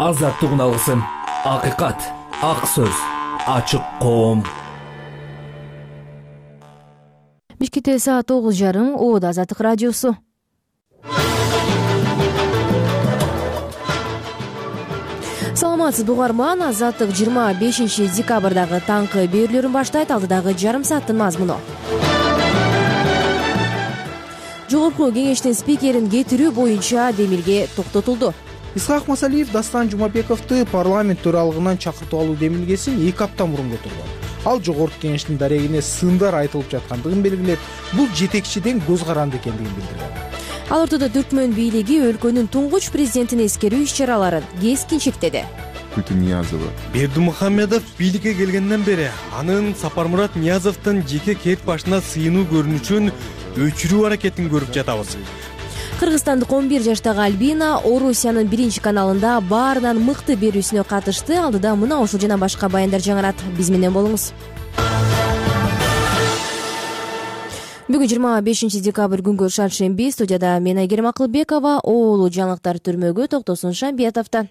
Азаттыгын алгысың. Акыйкат, ак сөз, ачык коом. Бишкекте саат 9:30. Ода Азаттык радиосу. Саламатсызбы угарман. Азаттык 25 декабрдагы таңкы берүүлөрүн баштайт. Алдыдагы жарым сааттын мазмуну. Жогорку кеңештин спикерин кетирүү боюнча демилге токтотулду. Исхак Масалиев Дастан Жумабековду парламент төралыгынан чакыртып алуу демилгесин 2 апта мурун көтөргөн. Ал жогорку кеңештин дарегине сындар айтылып жаткандыгын белгилеп, бул жетекчиден көз каранды экендигин билдирген. Ал ортодо Түркмөн бийлиги өлкөнүн туңгуч президентин эскерүү иш-чараларын кескин чектеди. Ниязова. Бердымухамедов бийликке келгенден бери анын Сапармурат Ниязовдун жеке кет башына сыйынуу көрүнүшүн өчүрүү аракетин көрүп жатабыз. Кыргызстандык 11 жаштагы Альбина Орусиянын биринчи каналында баарынан мыкты берүүсүнө катышты. Алдыда мына ушул жана башка баяндар жаңырат. Биз менен болуңуз. Бүгүн 25 декабрь күнгө шаршемби. Студияда мен Айгерим Акылбекова, оолу жаңылыктар түрмөгө токтосун Шамбиятовдо.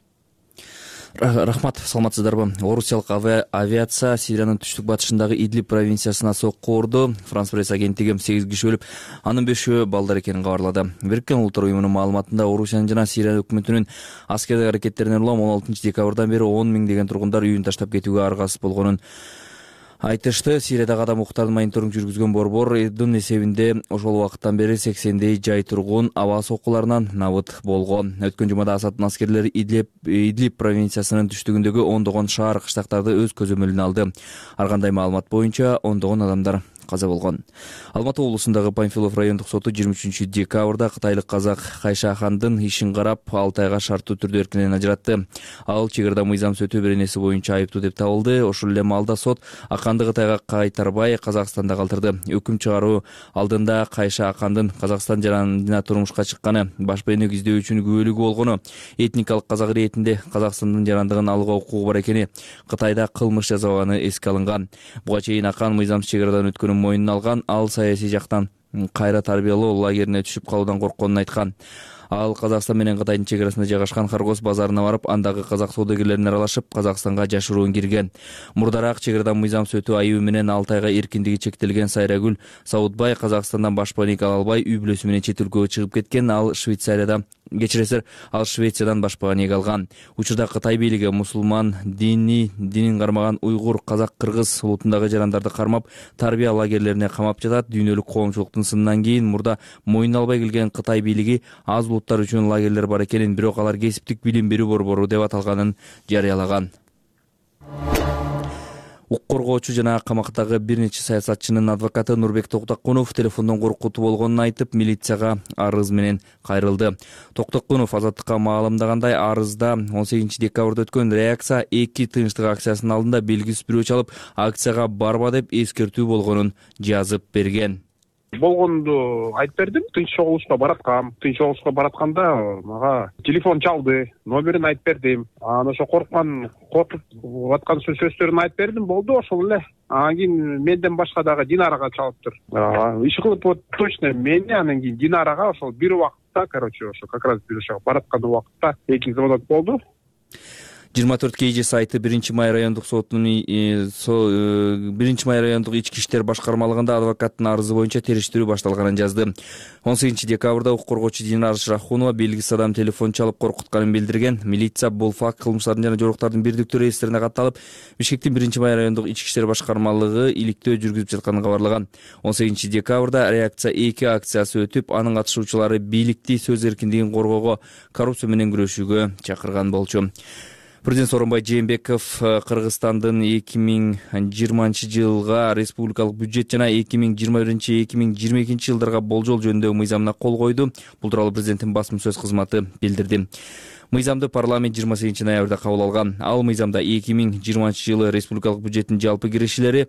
Рахмат, саламатсыздарбы? Орусиялык авиация Сириянын түштүк батышындагы Идлиб провинциясына сокку урду. Франс пресс агенттиги 8 киши өлүп, анын 5-өө балдар экенин кабарлады. Бириккен Улуттар уюмунун маалыматында Орусиянын жана Сирия өкмөтүнүн аскердик аракеттерине улам 16 декабрдан бери 10 000 деген тургундар үйүн таштап кетүүгө аргасыз болгонун айтышты. Сириядагы адам укуктарын мониторинг жүргүзгөн борбордун эсебинде ошол убакыттан бери 80 жай тургун аба соккуларынан набыт болгон. Өткөн жумада Асаддын аскерлери Идлиб провинциясынын түштүгүндөгү ондогон шаар кыштактарды өз көзөмөлүнө алды. Ар кандай маалымат боюнча ондогон адамдар каза болгон. Алматы облусундагы Панфилов райондук соту 23 декабрда кытайлык казак Кайша Ахандын ишин карап 6 айга шарттуу түрдө эркинен ажыратты. Ал чек ырда мыйзам сөтүү беренеси боюнча айыптуу деп табылды. Ошол эле маалда сот Аканды Кытайга кайтарбай Казакстанда калтырды. Өкүм чыгаруу алдында Кайша Ахандын Казакстан жарандына турмушка чыкканы, баш бейнек издөөчүнүн күбөлүгү болгону, этникалык казак иретинде Казакстандын жарандыгын алууга укугу бар экени, Кытайда кылмыш жасабаганы эске алынган. Буга чейин Акан мыйзамсыз чек ырадан өткөнүн мойнуна алган. Ал саясий жактан кайра тарбиялоо лагерине түшүп калуудан коркконун айткан. Ал Казакстан менен Кытайдын чек арасында жайгашкан Харгос базарына барып, андагы казак саудагерлерине аралашып, Казакстанга жашыруун кирген. Мурдараак чек ырадан мыйзам сөтүү айыбы менен 6 айга эркиндиги чектелген Сайрагүл Саудбай Казакстандан баш бейнек ала албай үй бүлөсү менен чет өлкөгө чыгып кеткен. Ал Швециядан баш бейнек алган. Учурда Кытай бийлиги мусулман динин кармаган уйгур, казак, кыргыз улутундагы жарандарды кармап, тарбия лагерлерине камап жатат. Дүйнөлүк коомчулуктун сынынан кийин мурда мойнуна албай келген Кытай бийлиги аз улуттар үчүн лагерлер бар экенин, бирок алар кесиптик билим берүү борбору деп аталганын жарыялаган. Укук коргоочу жана камактагы бир нече саясатчынын адвокаты Нурбек Токтокунов телефондон коркутуу болгонун айтып, милицияга арыз менен кайрылды. Токтокунов Азаттыкка маалымдагандай, арызда 18 декабрда өткөн реакция 2 тынчтык акциясынын алдында белгисиз бирөө чалып, акцияга барба деп эскертүү болгонун жазып берген. Болгонду айтып бердим. Тынч чогулушка баратканда мага телефон чалды, номерин айтып бердим. Анан ошо коркуп аткан сөздөрүн айтып бердим, болду ошол эле. Анан кийин менден башка дагы Динарага чалыптыр. Иш кылып точно мени, анан кийин Динарага ошол бир убакытта, ошо как раз биз ошого бараткан убакытта 2 звонок болду. 24 KG сайты 1 май райондук сотунун 1 май райондук ички иштер башкармалыгында адвокаттын арызы боюнча териштирүү башталганын жазды. 18 декабрда укук коргоочу Динар Шрахунова белгисиз адам телефон чалып коркутканын билдирген. Милиция бул факт кылмыштардын жана жоруктардын бирдиктүү реестрине катталып, Бишкектин 1 май райондук ички иштер башкармалыгы иликтөө жүргүзүп жатканын кабарлаган. 18 декабрда реакция 2 акциясы өтүп, анын катышуучулары бийликти сөз эркиндигин коргоого, коррупция менен күрөшүүгө чакырган болчу. Президент Сооронбай Жээнбеков Кыргызстандын 2020 жылга республикалык бюджет жана 2021-2022 жылдарга болжол жөнүндөгү мыйзамына кол койду. Бул тууралуу президенттин басма сөз кызматы билдирди. Мыйзамды парламент 28 ноябрда кабыл алган. Ал мыйзамда 2020 жылы республикалык бюджеттин жалпы киришилери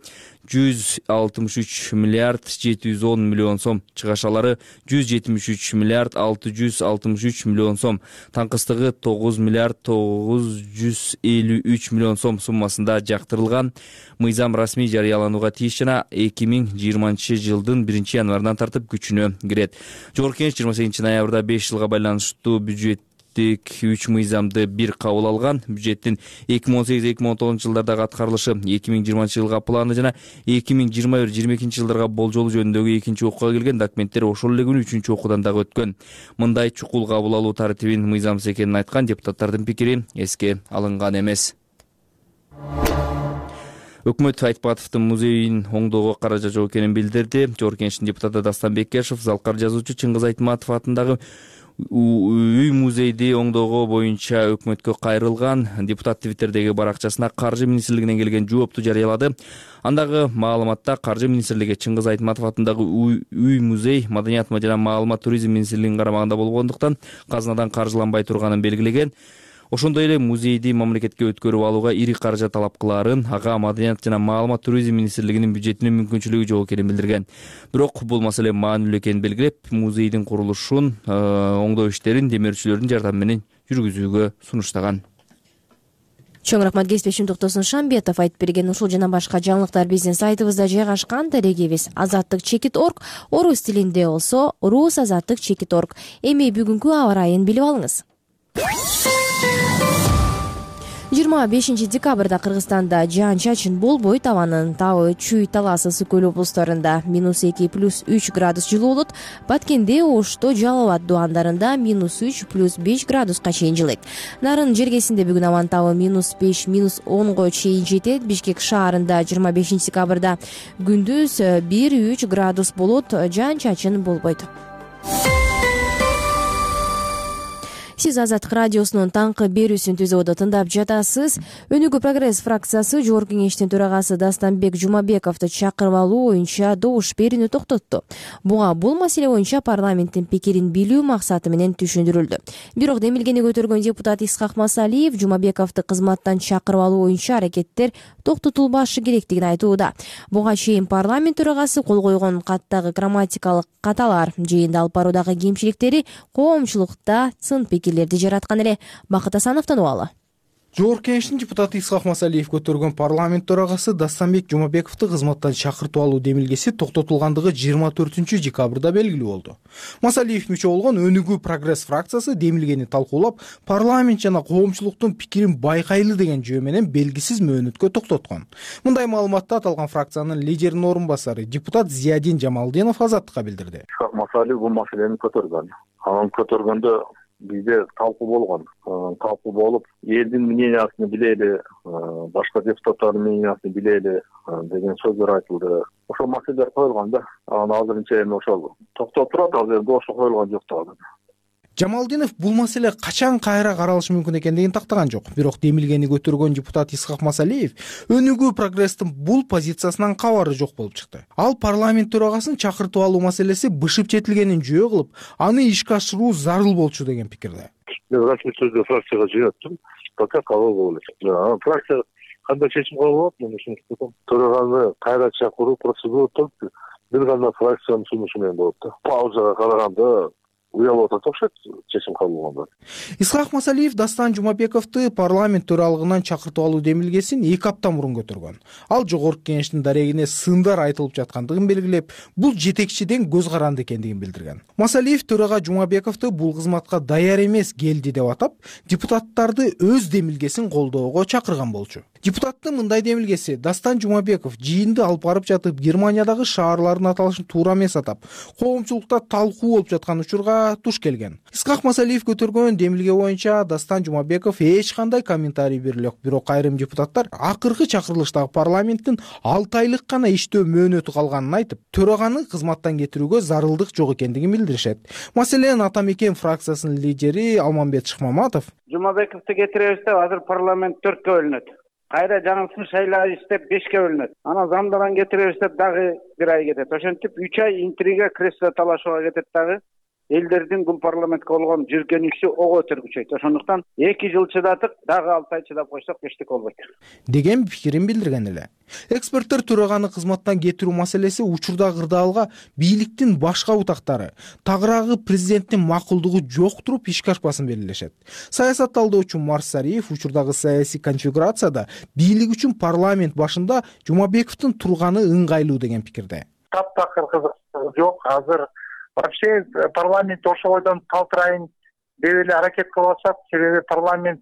163 миллиард 710 миллион сом, чыгашалары 173 миллиард 663 миллион сом, таңкыстыгы 9 миллиард 953 миллион сом суммасында жактырылган. Мыйзам расмий жарыяланууга тийиш жана 2020 жылдын 1 январынан тартып күчүнө кирет. Жогорку кеңеш 28 ноябрда 5 жылга байланыштуу бюджет бюджеттик 3 мыйзамды бир кабыл алган. Бюджеттин 2018-2019 жылдардагы аткарылышы, 2020 жылга планы жана 2021-2022 жылдарга болжолу жөнүндөгү экинчи окууга келген документтер ошол эле күнү үчүнчү окуудан дагы өткөн. Мындай чукул кабыл алуу тартибин мыйзамсыз экенин айткан депутаттардын пикири эске алынган эмес. Өкмөт Айтпатовдун музейин оңдоого каражат жок экенин билдирди. Жогорку Кеңештин депутаты Дастан Бекешев залкар жазуучу Чыңгыз Айтматов атындагы үй музейди оңдоого боюнча өкмөткө кайрылган. Депутат Твиттердеги баракчасына Каржы министрлигинен келген жоопту жарыялады. Андагы маалыматта Каржы министрлиги Чыңгыз Айтматов атындагы үй музей Маданият жана маалымат туризм министрлигинин карамагында болгондуктан казынадан каржыланбай турганын белгилеген. Ошондой эле музейди мамлекетке өткөрүп алууга ири каражат талап кылаарын, ага Маданият жана маалымат туризм министрлигинин бюджетинин мүмкүнчүлүгү жок экенин билдирген. Бирок бул маселе маанилүү экенин белгилеп, музейдин курулушун, оңдоо иштерин демөөрчүлөрдүн жардамы менен жүргүзүүгө сунуштаган. Чоң рахмат, кесиптешим Токтосун Шамбетов айтып берген. Ушул жана башка жаңылыктар биздин сайтыбызда жайгашкан. Дарегибиз azattik.org, орус тилинде болсо rusazattik.org. Эми бүгүнкү аба ырайын билип алыңыз. 25 декабрда Кыргызстанда жаан-чачын болбойт. Абанын табы Чүй, Талас, Ысык көл облустарында -2 + 3 градус жылуу болот. Баткенде, Ошто, Жалал абад дубандарында -3 + 5 градуска чейин жылыйт. Нарын жергесинде бүгүн абанын табы -5 -10 чейин жетет. Бишкек шаарында 25 декабрда күндүз 1-3 градус болот. Жаан-чачын болбойт. Сиз Азаттык радиосунун таңкы берүүсүн түзүүдө тыңдап жатасыз. Өнүгүү прогресс фракциясы Жогорку Кеңештин төрагасы Дастанбек Жумабековду чакырып алуу боюнча добуш берүүнү токтотту. Буга бул маселе боюнча парламенттин пикирин билүү максаты менен түшүндүрүлдү. Бирок демилгени көтөргөн депутат Исхак Масалиев Жумабековду кызматтан чакырып алуу боюнча аракеттер токтотулбашы керектигин айтууда. Буга чейин парламент төрагасы кол койгон каттагы грамматикалык каталар жыйында алып баруудагы кемчиликтери коомчулукта сын пикирлерди жараткан эле. Бакыт Асановдон убалы. Жогорку Кеңештин депутаты Исхак Масалиев көтөргөн парламент төрагасы Дастанбек Жумабековду кызматтан чакыртып алуу демилгеси токтотулгандыгы 24 декабрда белгилүү болду. Масалиев мүчө болгон Өнүгүү прогресс фракциясы демилгени талкуулап, парламент жана коомчулуктун пикирин байкайлы деген жөө менен белгисиз мөөнөткө токтоткон. Мындай маалыматты аталган фракциянын лидеринин орун басары депутат Зиядин Жамалдинов Азаттыкка билдирди. Исхак Масалиев бул маселени көтөргөн. Анын көтөргөндө бизде талкуу болгон. Талкуу болуп, элдин мнениясын билели, башка депутаттардын мнениясын билели деген сөздөр айтылды. Ошол маселелер коюлган да. Азырынча эми ошол токтоп турат, азыр ошо коюлган жок да. Жамалдинов бул маселе качан кайра каралышы мүмкүн экендигин тактаган жок. Бирок демилгени көтөргөн депутат Исхак Масалиев Өнүгүү прогресстин бул позициясынан кабары жок болуп чыкты. Ал парламент төрагасын чакыртып алуу маселеси бышып жетилгенин жөө кылып, аны ишке ашыруу зарыл болчу деген пикирде. Мен расмий түрдө фракцияга жыйнаттым. Пока кабыл болот. Фракция кандай чечим кабыл болот, мен ушуну төраганы кайра чакыруу процедура бир гана фракциянын сунушу менен болот да. Паузага караганда уялып атат окшойт чечим кабыл болгондо. Исхак Масалиев Дастан Жумабековду парламент төралыгынан чакыртып алуу демилгесин 2 апта мурун көтөргөн. Ал Жогорку Кеңештин дарегине сындар айтылып жаткандыгын белгилеп, бул жетекчиден көз каранды экендигин билдирген. Масалиев төрага Жумабековду бул кызматка даяр эмес келди деп атап, депутаттарды өз демилгесин колдоого чакырган болчу. Депутаттын мындай демилгеси Дастан Жумабеков жыйынды алып барып жатып Германиядагы шаарлардын аталышын туура эмес атап, коомчулукта талкуу болуп жаткан учурга туш келген. Исхак Масалиев көтөргөн демилге боюнча Дастан Жумабеков эч кандай комментарий бериле жок. Бирок айрым депутаттар акыркы чакырылыштагы парламенттин 6 айлык гана иштөө мөөнөтү калганын айтып, төраганы кызматтан кетирүүгө зарылдык жок экендигин билдиришет. Маселен Ата Мекен фракциясынын лидери Алмамбет Шыкмаматов Жумабековду кетиребиз деп азыр парламент 4кө бөлүнөт. Кайра жаңысын шайлайбыз деп 5ке бөлүнөт. Анан замдаран кетиребиз деп дагы 1 ай кетет. Ошентип 3 ай интрига, кресло талашууга кетет дагы. Элдердин бул парламентке болгон жүргөнүшү ого өтөр күчөйт. Ошондуктан 2 жыл чыдадык, дагы 6 ай чыдап койсок эчтеке болбойт деген пикирин билдирген эле. Эксперттер төраганы кызматтан кетирүү маселеси учурда кырдаалга бийликтин башка бутактары, тагыраагы президенттин макулдугу жок туруп ишке ашпасын белгилешет. Саясат талдоочу Марсариев учурдагы саясий конфигурацияда бийлик үчүн парламент башында Жумабековдун турганы ыңгайлуу деген пикирде. Таптакыр кызык жок. Азыр вообще парламент ошол бойдон калтырайын деп эле аракет кылышат. Себеби парламент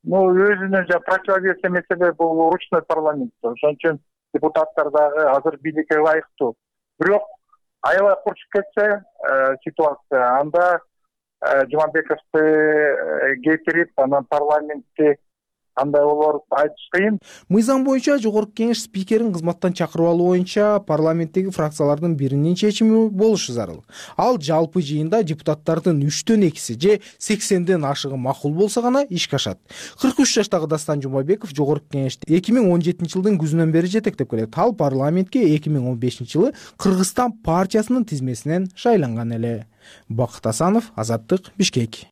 өзүнө противовес эмесе бул ручной парламент. Ошон үчүн депутаттар дагы азыр бийликке ылайыктуу. Бирок аябай курчуп кетсе ситуация, анда Жумабековду кетирип, анан парламентти кандай болор айтыш кыйын. Мыйзам боюнча жогорку кеңеш спикерин кызматтан чакырып алуу боюнча парламенттеги фракциялардын биринин чечими болушу зарыл. Ал жалпы жыйында депутаттардын 3/2 же 80ден ашыгы макул болсо гана ишке ашат. 43 жаштагы Дастан Жумабеков жогорку кеңешти 2017-жылдын күзүнөн бери жетектеп келет. Ал парламентке 2015-жылы Кыргызстан партиясынын тизмесинен шайланган эле. Бакыт Асанов, Азаттык, Бишкек.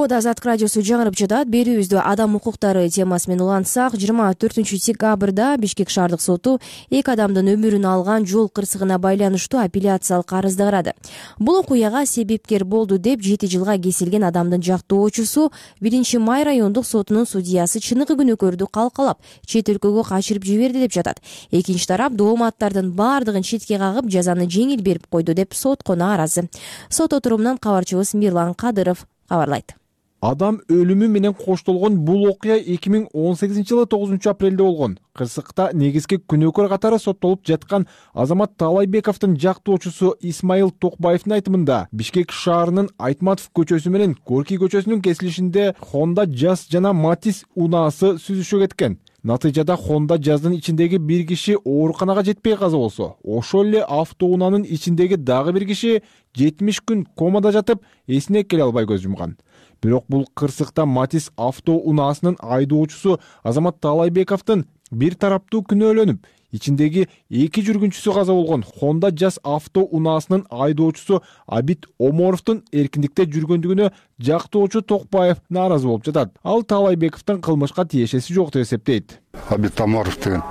Азаттык радиосу жаңырып жатат. Берүүбүздө адам укуктары темасы менен улантсак, 24-декабрда Бишкек шаардык соту 2 адамдын өмүрүн алган жол кырсыгына байланыштуу апелляциялык арызды карады. Бул окуяга себепкер болду деп 7 жылга кесилген адамдын жактоочусу 1-Май райондук сотунун судьясы чыныгы күнөөкөрдү калкалап, чет өлкөгө качырып жиберди деп жатат. Экинчи тарап дооматтардын баардыгын четке кагып, жазаны жеңил берип койду деп сотко нааразы. Сот отурумунан кабарчыбыз Мирлан Кадыров кабарлайт. Адам өлүмү менен коштолгон бул окуя 2018-жылы 9-апрелде болгон. Кырсыкта негизги күнөөкөр катары соттолуп жаткан Азамат Таалайбековдун жактоочусу Исмаил Токбаевдин айтымында Бишкек шаарынын Айтматов көчөсү менен Горький көчөсүнүн кесилишинде Honda Jazz жана Matiz унаасы сүзүшө кеткен. Натыйжада Honda Jazz'дын ичиндеги бир киши ооруканага жетпей каза болсо, ошол эле автоунаанын ичиндеги дагы бир киши 70 күн комада жатып, эсине келе албай көз жумган. Бирок бул кырсыкта Matiz автоунаасынын айдоочусу Азамат Таалайбековдун бир тараптуу күнөөлөнүп, ичиндеги 2 жүргүнчүсү каза болгон Honda Jazz автоунаасынын айдоочусу Абит Оморовдун эркиндикте жүргөндүгүнө жактоочу Токбаев нааразы болуп жатат. Ал Таалайбековдун кылмышка тиешеси жок деп эсептейт. Абит Оморов деген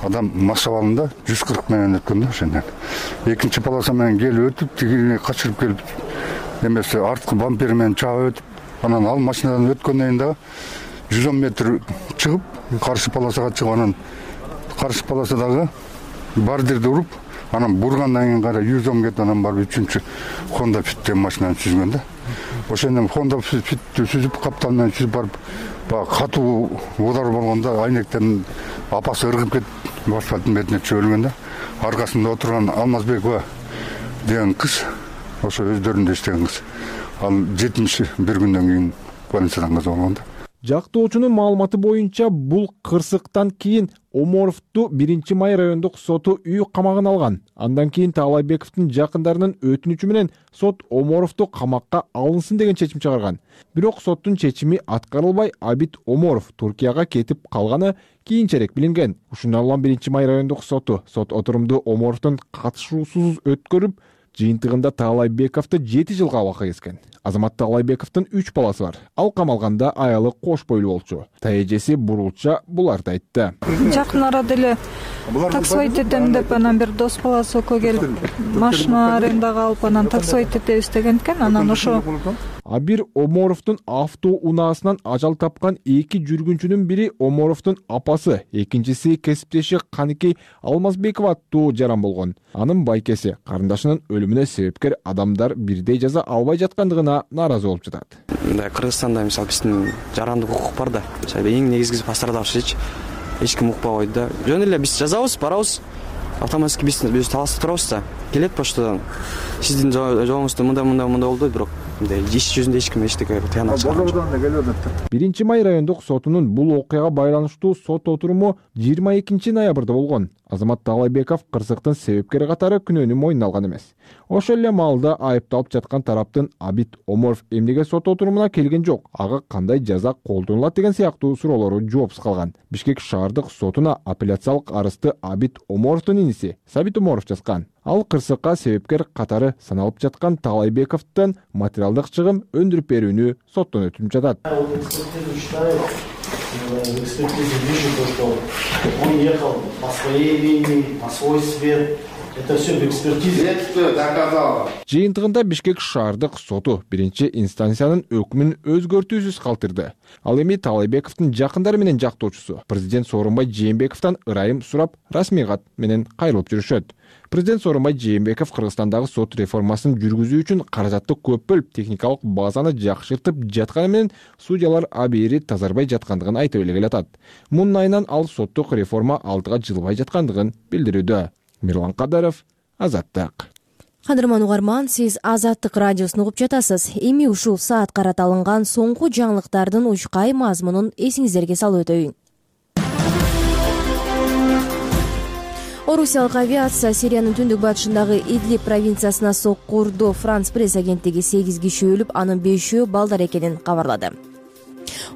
адам машабалында 140 менен өткөн да ошондон. Экинчи полоса менен келип өтүп, тигине качырып келип, эмесе арткы бампер менен чаап өтүп, анан ал машинадан өткөндөн да 110 метр чыгып, каршы полосага чыгып, анан каршы полосадагы бардирди уруп, анан бургандан кийин кара 110 кетип, анан барып 3-чү Honda Fit деген машинаны сүзгөн да. Ошондон Honda Fitти сүзүп, каптан менен сүзүп барып, катуу удар болгондо айнектен апасы ыргып кетип, асфальттын бетине түшүп өлгөн да. Аркасында отурган Алмазбекова деген кыз, ошо өздөрүндө иштеген кыз. Ал 71 күндөн кийин больницадан каза болгон да. Жактоочунун маалыматы боюнча бул кырсыктан кийин Оморовду 1-Май райондук соту үй камагына алган. Андан кийин Таалайбековдун жакындарынын өтүнүчү менен сот Оморовду камакка алынсын деген чечим чыгарган. Бирок соттун чечими аткарылбай, Абит Оморов Туркияга кетип калганы кийинчерээк билинген. Ушундан улам 1-Май райондук соту сот отурумду Оморовдун катышуусуз өткөрүп, жыйынтыгында Таалайбековду 7 жылга абакка кескен. Азамат Таалайбековдун 3 баласы бар. Ал камалганда аялы кош бойлуу болчу. Таэжеси бурулча буларды айтты. Жакын арада эле таксовать этем деп, анан бир дос баласы окко келип, машина арендага алып, анан таксовать этебиз деген экен. Анан ошо Абир Оморовдун автоунаасынан ажал тапкан 2 жүргүнчүнүн бири Оморовдун апасы, экинчиси кесиптеши Каныкей Алмазбекова аттуу жаран болгон. Анын байкеси карындашынын өлүмүнө себепкер адамдар бирдей жаза албай жаткандыгына нааразы болуп жатат. Кыргызстанда мисалы биздин жарандык укук бар да. Эң негизгиси пострадавший эч ким укпай койду да. Жөн эле биз жазабыз, барабыз. Автоматически биз таласта турабыз да. Келет поштадан. Сиздин жолуңузда мындай болду, бирок иш жүзүндө эч ким эчтеке тыянак чыгарбайт. 1-Май райондук сотунун бул окуяга байланыштуу сот отуруму 22 ноябрда болгон. Азамат Таалайбеков кырсыктын себепкери катары күнөөнү мойнуна алган эмес. Ошол эле маалда айыпталып жаткан тараптын Абит Оморов эмнеге сот отурумуна келген жок, ага кандай жаза колдонулат деген сыяктуу суроолору жоопсуз калган. Бишкек шаардык сотуна апелляциялык арызды Абит Оморовдун иниси Сабит Оморов жазган. Ал кырсыкка себепкер катары саналып жаткан Таалайбековдон материалдык чыгым өндүрүп берүүнү соттон өтүнүп жатат. В экспертизе вижу то, что он ехал по своей линии, по свой свет, Это все в экспертизе. Следствие доказало. Жыйынтыгында Бишкек шаардык соту биринчи инстанциянын өкмүн өзгөртүүсүз калтырды. Ал эми Таалайбековдун жакындары менен жактоочусу президент Сооронбай Жээнбековдон ырайым сурап расмий кат менен кайрылып жүрүшөт. Президент Сооронбай Жээнбеков Кыргызстандагы сот реформасын жүргүзүү үчүн каражатты көп бөлүп, техникалык базаны жакшыртып жатканы менен судьялар абийири тазарбай жаткандыгын айтып эле келатат. Мунун айынан ал соттук реформа алдыга жылбай жаткандыгын билдирүүдө. Мирлан Кадаров, Азаттык. Кадырман угарман, сиз Азаттык радиосун угуп жатасыз. Эми ушул саат карата алынган соңку жаңылыктардын учкай мазмунун эсиңиздерге салып өтөйүн. Орусиялык авиация Сириянын түндүк батышындагы Идлиб провинциясына сокку урду. Франс пресс агенттиги 8 киши өлүп, анын 5-өө балдар экенин кабарлады.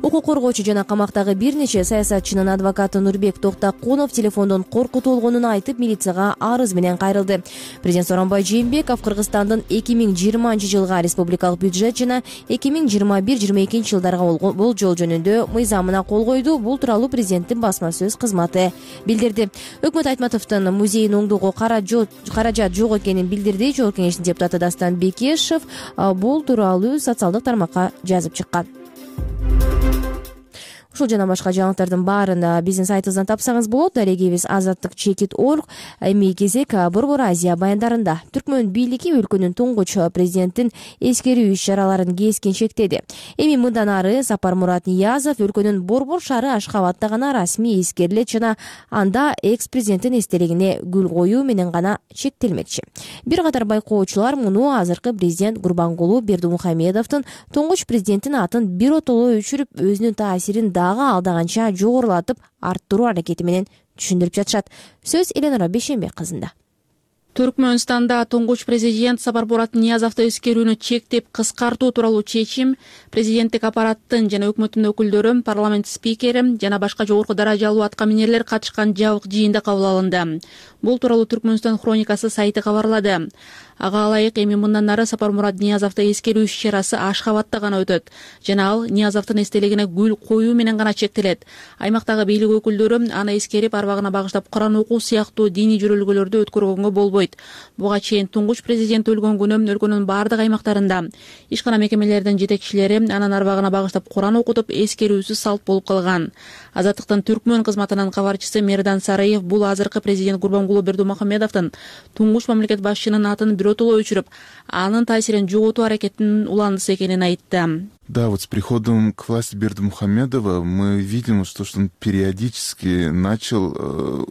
Укук коргоочу жана камактагы бир нече саясатчынын адвокаты Нурбек Токтакунов телефондон коркутулгонун айтып, милицияга арыз менен кайрылды. Президент Сооронбай Жээнбеков Кыргызстандын 2020-жылга республикалык бюджет жана 2021-22 жылдарга болжол жөнүндө мыйзамына кол койду. Бул тууралуу президенттин басма сөз кызматы билдирди. Өкмөт Айтматовдун музейин оңдоого каражат жок экенин билдирди. Жогорку кеңештин депутаты Дастан Бекешев бул тууралуу социалдык тармакка жазып чыккан. Ушул жана башка жаңылыктардын баарын биздин сайтыбыздан тапсаңыз болот. Дарегибиз azattik.org. Эми кезек Борбор Азия баяндарында. Түркмөн бийлиги өлкөнүн туңгуч президенттин эскерүү иш-чараларын кескин чектеди. Эми мындан ары Сапармурат Ниязов өлкөнүн Борбор шаары Ашхабадта гана расмий эскерилет жана анда экс-президенттин эстелигине гүл коюу менен гана чектелмекчи. Бир катар байкоочулар муну азыркы президент Гурбангулу Бердимухамедовдун туңгуч президенттин атын биротоло өчүрүп, өзүнүн таасирин алдаганча жогорулатып арттыруу аракети менен түшүндүрүп жатышат. Сөз Эленора Бейшенбек кызында. Түркмөнстанда туңгуч президент Сапармурат Ниязовду эскерүүнү чектеп кыскартуу тууралуу чечим президенттик аппараттын жана өкмөттүн өкүлдөрү, парламент спикери жана башка жогорку даражалуу аткаминерлер катышкан жабык жыйында кабыл алынды. Бул тууралуу Түркмөнстан хроникасы сайты кабарлады. Ага ылайык эми мындан ары Сапармурат Ниязовду эскерүү иш-чарасы Ашхабадта гана өтөт жана ал Ниязовдун эстелигине гүл коюу менен гана чектелет. Аймактагы бийлик өкүлдөрү аны эскерип, арбагына багыштап Куран окуу сыяктуу диний жөрөлгөлөрдү өткөргөнгө болбойт. Буга чейин туңгуч президент өлгөн күнү өлкөнүн бардык аймактарында ишкана мекемелердин жетекчилери анын арбагына багыштап Куран окутуп, эскерүүсүз салт болуп калган. Азаттыктын Түркмөн кызматынын кабарчысы Мердан Сараев бул азыркы президент Гурбангулу Бердимухамедовдун туңгуч мамлекет башчынын атын биротоло өчүрүп, анын таасирин жоготуу аракетинин уландысы экенин айтты. Да, вот с приходом к власти Бердимухамедова мы видим, что он периодически начал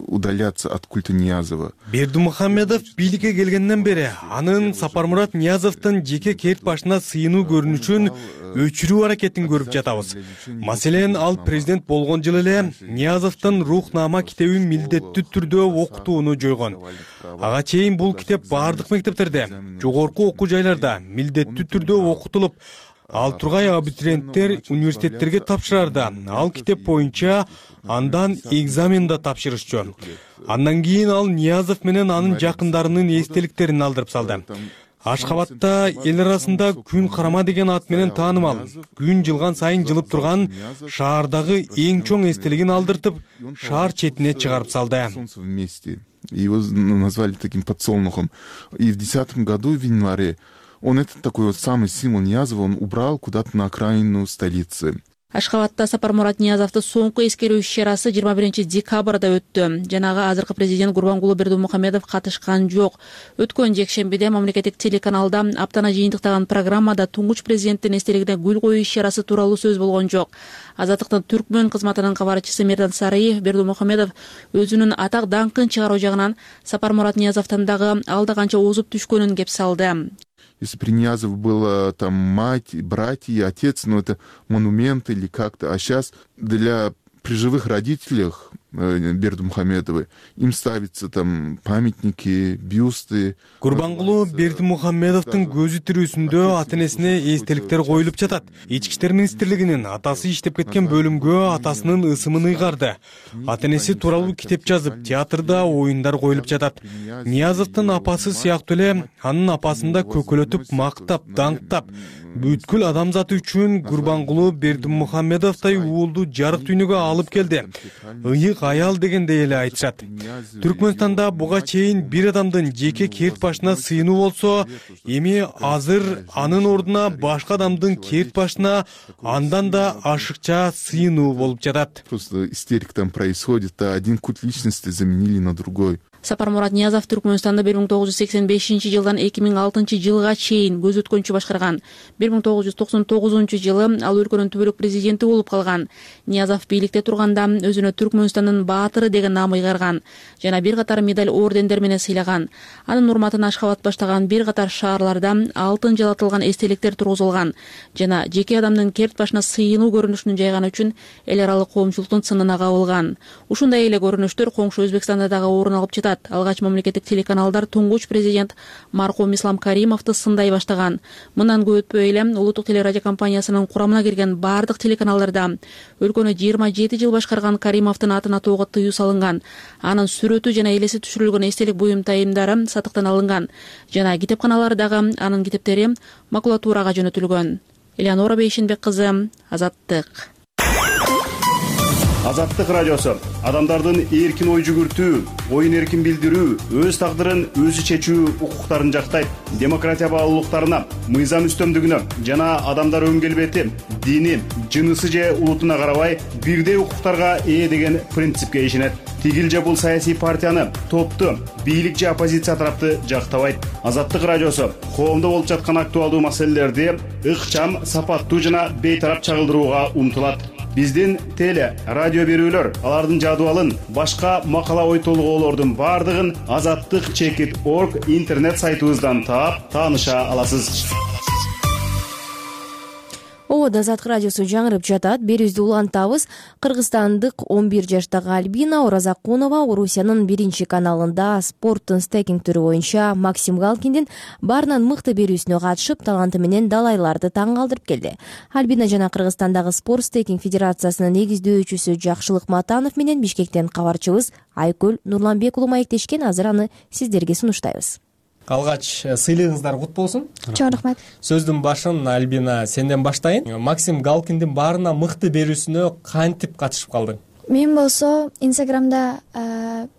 удаляться от культа Ниязова. Бердимухамедов бийликке келгенден бери анын Сапармурат Ниязовдун жеке кет башына сыйынуу көрүнүшүн өчүрүү аракетин көрүп жатабыз. Маселен, ал президент болгон жылы эле Ниязовдун Рухнама китебин милдеттүү түрдө окутууну жойгон. Ага чейин бул китеп бардык мектептерде, жогорку окуу жайларда милдеттүү түрдө окутулуп, ал тургай абитуриенттер университеттерге тапшырарда ал китеп боюнча андан экзамен да тапшырышчу. Андан кийин ал Ниязов менен анын жакындарынын эстеликтерин алдырып салды. Ашхабадта эл арасында күн карама деген ат менен таанымал, күн жылган сайын жылып турган шаардагы эң чоң эстелигин алдыртып, шаар четине чыгарып салды. Его назвали таким подсолнухом. И в 2010 году, в январе, он этот такой вот самый символ Ниязова, он убрал куда-то на окраину столицы. Ашхабадта Сапармурат Ниязовду соңку эскерүү иш-чарасы 21 декабрда өттү. Жанагы азыркы президент Гурбангулу Бердимухамедов катышкан жок. Өткөн жекшембиде мамлекеттик телеканалда аптана жыйынтыктаган программада туңгуч президенттин эстелигине гүл коюу иш-чарасы тууралуу сөз болгон жок. Азаттыктын Түркмөн кызматынын кабарчысы Мердан Сараев Бердимухамедов өзүнүн атак даңкын чыгаруу жагынан Сапармурат Ниязовдон дагы алда канча озуп түшкөнүн кеп салды. Если при Ниязове было там мать, братья, отец, ну это монумент или как-то, а сейчас для при живых родителях Бердимухамедовой им ставятся там памятники, бюсты. Гурбангулу Бердимухамедовдун көзү тирүүсүндө ата-энесине эстеликтер коюлуп жатат. Ички иштер министрлигинин атасы иштеп кеткен бөлүмгө атасынын ысымын ыйгарды. Ата-энеси тууралуу китеп жазып, театрда оюндар коюлуп жатат. Ниязовдун апасы сыяктуу эле анын апасын да көкөлөтүп, мактап, даңктап, бүткүл адамзат үчүн Гурбангулу Бердимухамедовдой уулду жарык дүйнөгө алып келди. Ыйык аял дегендей эле айтышат. Түркмөнстанда буга чейин бир адамдын жеке керт башына сыйынуу болсо, эми азыр анын ордуна башка адамдын керт башына андан да ашыкча сыйынуу болуп жатат. Просто истерика там происходит, а один культ личности заменили на другой. Сапармурат Ниязов Түркмөнстанда 1985 жылдан 2006 жылга чейин көз өткөнчү башкарган. 1999 жылы ал өлкөнүн түбөлүк президенти болуп калган. Ниязов бийликте турганда өзүнө Түркмөнстандын баатыры деген наам ыйгарган жана бир катар медаль ордендер менен сыйлаган. Анын урматына Ашхабад баштаган бир катар шаарларда алтын жалатылган эстеликтер тургузулган жана жеке адамдын керт башына сыйынуу көрүнүшүн жайганы үчүн эл аралык коомчулуктун сынына кабылган. Ушундай эле көрүнүштөр коңшу Өзбекстанда дагы орун алып жатат. Алгач мамлекеттик телеканалдар туңгуч президент маркум Ислам Каримовду сындай баштаган. Мындан көп өтпөй эле улуттук телерадио компаниясынын курамына кирген бардык телеканалдарда өлкөнү 27 жыл башкарган Каримовдун атын атоого тыюу салынган. Анын сүрөтү жана элеси түшүрүлгөн эстелик буюмтайымдары сатыктан алынган жана китепканалардагы анын китептери макулатурага жөнөтүлгөн. Элеонора Бейшенбек кызы, Азаттык. Азаттык радиосу адамдардын эркин ой жүгүртүү, оюн эркин билдирүү, өз тагдырын өзү чечүү укуктарын жактайт. Демократия баалуулуктарына, мыйзам үстөмдүгүнө жана адамдар өн келбети, дини, жынысы же улутуна карабай бирдей укуктарга ээ деген принципке ишенет. Тигил же бул саясий партияны, топту, бийлик же оппозиция тарапты жактабайт. Азаттык радиосу коомдо болуп жаткан актуалдуу маселелерди ыкчам, сапаттуу жана бейтарап чагылдырууга умтулат. Биздин теле, радио берүүлөр, алардын жадыбалын, башка макала ой толгоолордун бардыгын azattik.org интернет сайтыбыздан таап, тааныша аласыз. Ободо Азаттык радиосу жаңырып жатат. Берүүбүздү улантабыз. Кыргызстандык 11 жаштагы Альбина Оразакунова Орусиянын 1 каналында спорттун стейкинг түрү боюнча Максим Галкиндин баарынан мыкты берүүсүнө катышып, таланты менен далайларды таң калтырып келди. Альбина жана Кыргызстандагы спорт стейкинг федерациясынын негиздөөчүсү Жакшылык Матанов менен Бишкектен кабарчыбыз Айкөл Нурланбек уулу маектешкен. Азыр аны сиздерге сунуштайбыз. Алгач сыйлыгыңыздар кут болсун. Чоң рахмат. Сөздүн башын Альбина сенден баштайын. Максим Галкиндин баарына мыкты берүүсүнө кантип катышып калдың? Мен болсо Инстаграмда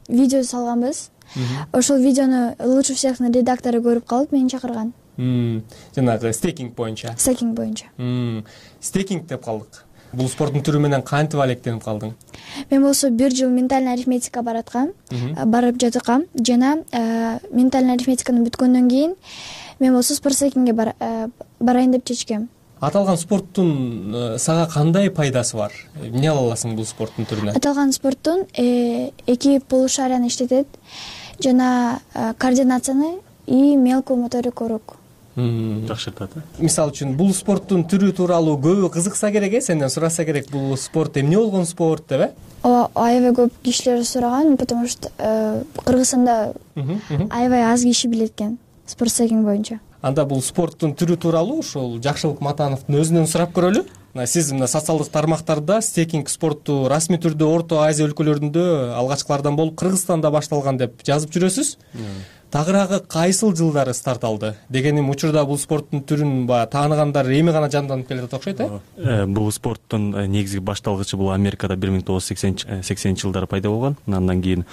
видео салганбыз. Ошол видеону лучше всехнын редактору көрүп калып мени чакырган. Жанагы стейкинг боюнча. Стейкинг боюнча. Стейкинг деп калдык. Бул спорттун түрү менен кантип алектенип калдың? Мен болсо 1 жыл ментальный арифметика барып жаткам жана ментальный арифметиканы бүткөндөн кийин мен болсо спорт стейкингге барайын деп чечкем. Аталган спорттун сага кандай пайдасы бар? Эмне ала аласың бул спорттун түрүнөн? Аталган спорттун эки полушарияны иштетет жана координацияны и мелкую моторику рук жакшыртат. Мисалы үчүн бул спорттун түрү тууралуу көбү кызыкса керек, сенден сураса керек, бул спорт эмне болгон спорт деп, Ооба, аябай көп кишилер сураган, потому что Кыргызстанда аябай аз киши билет экен спорт стейкинг боюнча. Анда бул спорттун түрү тууралуу ушул Жакшылык Матановдун өзүнөн сурап көрөлү. Сиз мына социалдык тармактарда стейкинг спорту расмий түрдө Орто Азия өлкөлөрүндө алгачкылардан болуп Кыргызстанда башталган деп жазып жүрөсүз. Тагыраагы кайсыл жылдары старт алды? Дегеним учурда бул спорттун түрүн тааныгандар эми гана жанданып келе жатат окшойт, Бул спорттун негизги башталгычы бул Америкада 1980 жылдары пайда болгон. Андан кийин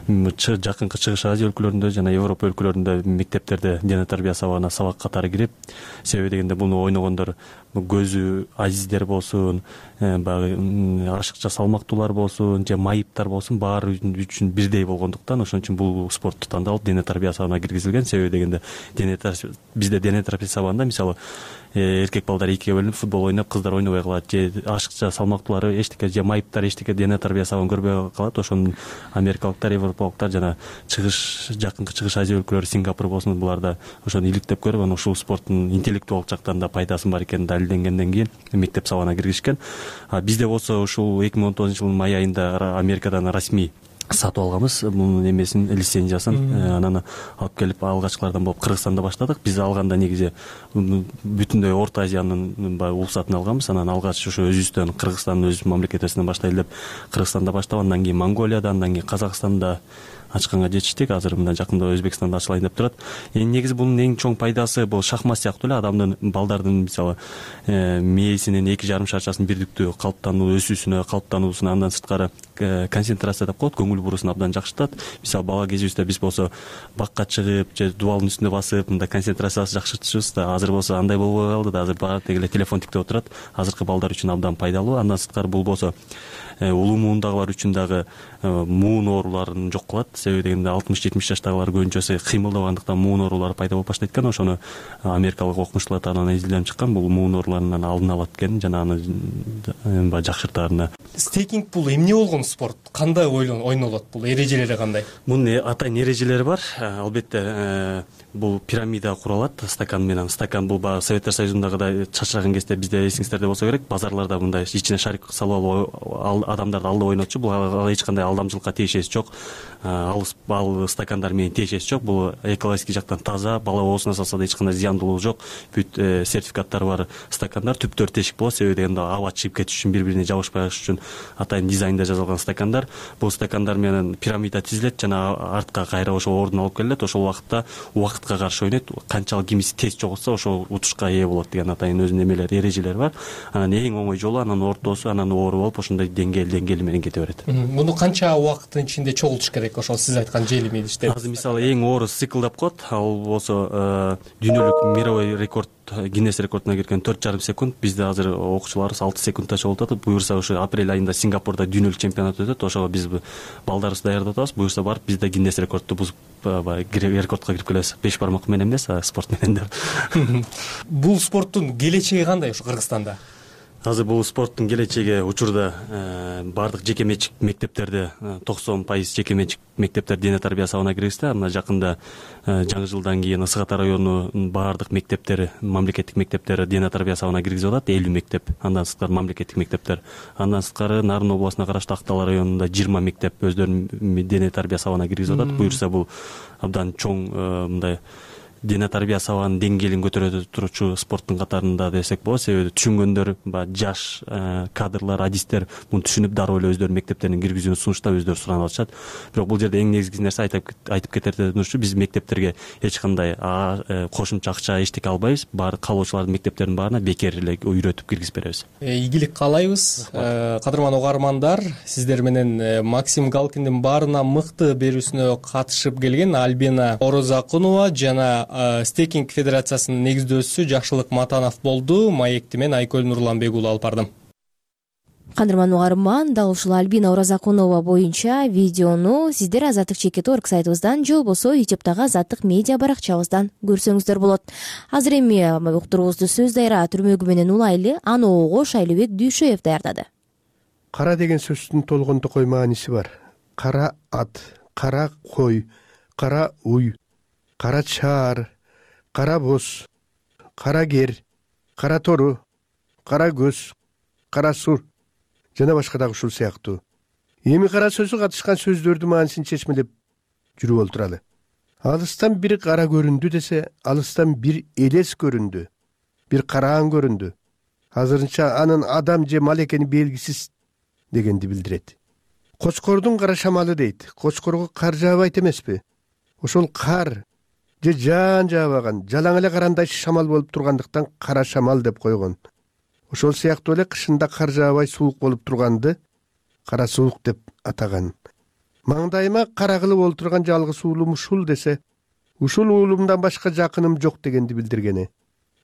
жакынкы Чыгыш Азия өлкөлөрүндө жана Европа өлкөлөрүндө мектептерде дене тарбия сабагына сабак катары кирип, себеби дегенде буну ойногондор көзү азиздер болсун, баягы ашыкча салмактуулар болсун, же майыптар болсун, баары үчүн бирдей болгондуктан ошон үчүн бул спортту тандалып дене тарбия сабагына киргизилген. Себеби дегенде бизде дене тарбия сабагында мисалы эркек балдар экиге бөлүнүп футбол ойноп, кыздар ойнобой калат, же ашыкча салмактуулары эчтеке, же майыптар эчтеке дене тарбия сабагын көрбөй калат. Ошону америкалыктар, европалыктар жана жакынкы Чыгыш Азия өлкөлөрү, Сингапур болсун, буларда ошону иликтеп көрүп, анан ушул спорттун интеллектуалдык жактан да пайдасы бар экени далилденгенден кийин мектеп сабагына киргизишкен. Бизде болсо ушул 2019-жылдын май айында Америкадан расмий сатып алганбыз мунун эмесин, лицензиясын. Анан алып келип алгачкылардан болуп Кыргызстанда баштадык. Биз алганда негизи бүтүндөй Орто Азиянын уруксатын алганбыз. Анан алгач ошо өзүбүздөн Кыргызстандын өз мамлекетибизден баштайлы деп Кыргызстанда баштап, андан кийин Монголияда, андан кийин Казакстанда ачканга жетиштик. Азыр мына жакында Өзбекстанда ачылайын деп турат. Негизи бунун эң чоң пайдасы бул шахмат сыяктуу эле адамдын, балдардын мисалы мээсинин 2,5 шарчасынын бирдиктүү калыптануу, өсүүсүнө, калыптануусуна, андан сырткары концентрация деп коет, көңүл бурусун абдан жакшыртат. Мисалы бала кезибизде биз болсо бакка чыгып же дубалдын үстүнө басып мындай концентрациябызды жакшыртышыбыз да, азыр болсо андай болбой калды да, азыр баары деги эле телефон тиктеп отурат. Азыркы балдар үчүн абдан пайдалуу. Андан сырткары бул болсо улуу муундагылар үчүн дагы муун ооруларын жок кылат. Себеби дегенде 60-70 жаштагылар көбүнчөсү кыймылдабагандыктан муун оорулары пайда болуп баштайт экен. Ошону америкалык окумуштуулар тарабынан изилденип чыккан. Бул муун ооруларынын алдын алат экен жана аны баягы жакшыртаарына. Стейкинг бул эмне болгон спорт? Кандай ойнолот? Бул эрежелери кандай? Мунун атайын эрежелери бар. Албетте бул пирамида куралат стакан менен. Стакан бул баягы Советтер Союзундагыдай чачыраган кезде бизде эсиңиздерде болсо керек, базарларда мындай ичине шарик салып алып адамдарды алдап ойнотчу. Бул эч кандай алдамчылыкка тиешеси жок. Ал стакандар менен тиешеси жок. Бул экологический жактан таза, бала оозуна салса да эч кандай зыяндуулугу жок. Бүт сертификаттары бар стакандар, түптөр тешик болот. Себеби дегенде аба чыгып кетиш үчүн, бири-бирине жабышпай калыш үчүн атайын дизайнда жасалган стакандар. Бул стакандар менен пирамида тизилет жана артка кайра ошол ордун алып келет. Ошол убакытта убакытка каршы ойнойт. Канчалык кимиси тез жоготса ошол утушка ээ болот деген атайын өзүнүн эмелери, эрежелери бар. Анан эң оңой жолу анан ортосу, анан оору болуп ошондой деңгээли менен кете берет. Муну канча убакыттын ичинде чогултуш керек? Ошол сиз айткан желим идиштер. Азыр мисалы эң оор цикл деп коет. Ал болсо дүйнөлүк мировой рекорд, Гиннес рекордуна кирген 4,5 секунд. Бизде азыр окуучуларыбыз 6 секундта чогултуп атат. Буюрса ошо апрель айында Сингапурда дүйнөлүк чемпионат өтөт. Ошого биз балдарыбызды даярдап атабыз. Буюрса барып бизде Гиннес рекордду бузуп рекордко кирип келебиз. 5 бармак менен эмес, спорт менен деп. Бул спорттун келечеги кандай ушу Кыргызстанда? Азыр бул спорттун келечеги учурда баардык жеке менчик мектептерде 90% жеке менчик мектептер дене тарбия сабына киргизди. Мына жакында жаңы жылдан кийин Ысык Ата районунун баардык мектептери, мамлекеттик мектептери дене тарбия сабына киргизип атат. 50 мектеп, андан сырткары мамлекеттик мектептер. Андан сырткары Нарын областына караштуу Актал районунда 20 мектеп өздөрүнүн дене тарбия сабына киргизип атат. Буюрса бул абдан чоң мындай дене тарбия сабагынын деңгээлин көтөрө турчу спорттун катарында десек болот. Себеби түшүнгөндөр, жаш кадрлар, адистер муну түшүнүп дароо эле өздөрүнүн мектептерине киргизүүнү сунуштап өздөрү суранып атышат. Бирок бул жерде эң негизги нерсе айтып кетерден ушу, биз мектептерге эч кандай кошумча акча эчтеке албайбыз. Баары калуучулардын мектептеринин баарына бекер эле үйрөтүп киргизип беребиз. Ийгилик каалайбыз. Кадырман угармандар, сиздер менен Максим Галкиндин баарына мыкты берүүсүнө катышып келген Альбина Орозакунова жана Стейкинг федерациясынын негиздөөчүсү Жакшылык Матанов болду. Маекти мен Айкөл Нурланбек уулу алып бардым. Кадырман угарман, дал ушул Альбина Орозакунова боюнча видеону сиздер Азаттык чекит.org сайтыбыздан же болбосо YouTube'дагы Азаттык медиа баракчабыздан көрсөңүздөр болот. Азыр эми уктуруубузду сөз дайра түрмөгү менен улайлы аны огош Айлыбек Дүйшөев даярдады. Кара деген сөздүн толгондук ой мааниси бар. Кара ат, кара кой, кара уй, кара чаар, кара боз, кара кер, кара тору, кара көз, кара сур жана башка дагы ушул сыяктуу. Эми кара сөзү катышкан сөздөрдүн маанисин чечмелеп жүрүп олтуралы. Алыстан бир кара көрүндү десе, алыстан бир элес көрүндү, бир караан көрүндү. Азырынча анын адам же мал экени белгисиз дегенди билдирет. Кочкордун кара шамалы дейт. Кочкорго кар жаабайт эмеспи? Ошол кар же жаан жаабаган, жалаң эле карандай шамал болуп тургандыктан кара шамал деп койгон. Ошол сыяктуу эле кышында кар жаабай суук болуп турганды кара суук деп атаган. Маңдайыма кара кылып олтурган жалгыз уулум ушул десе, ушул уулумдан башка жакыным жок дегенди билдиргени.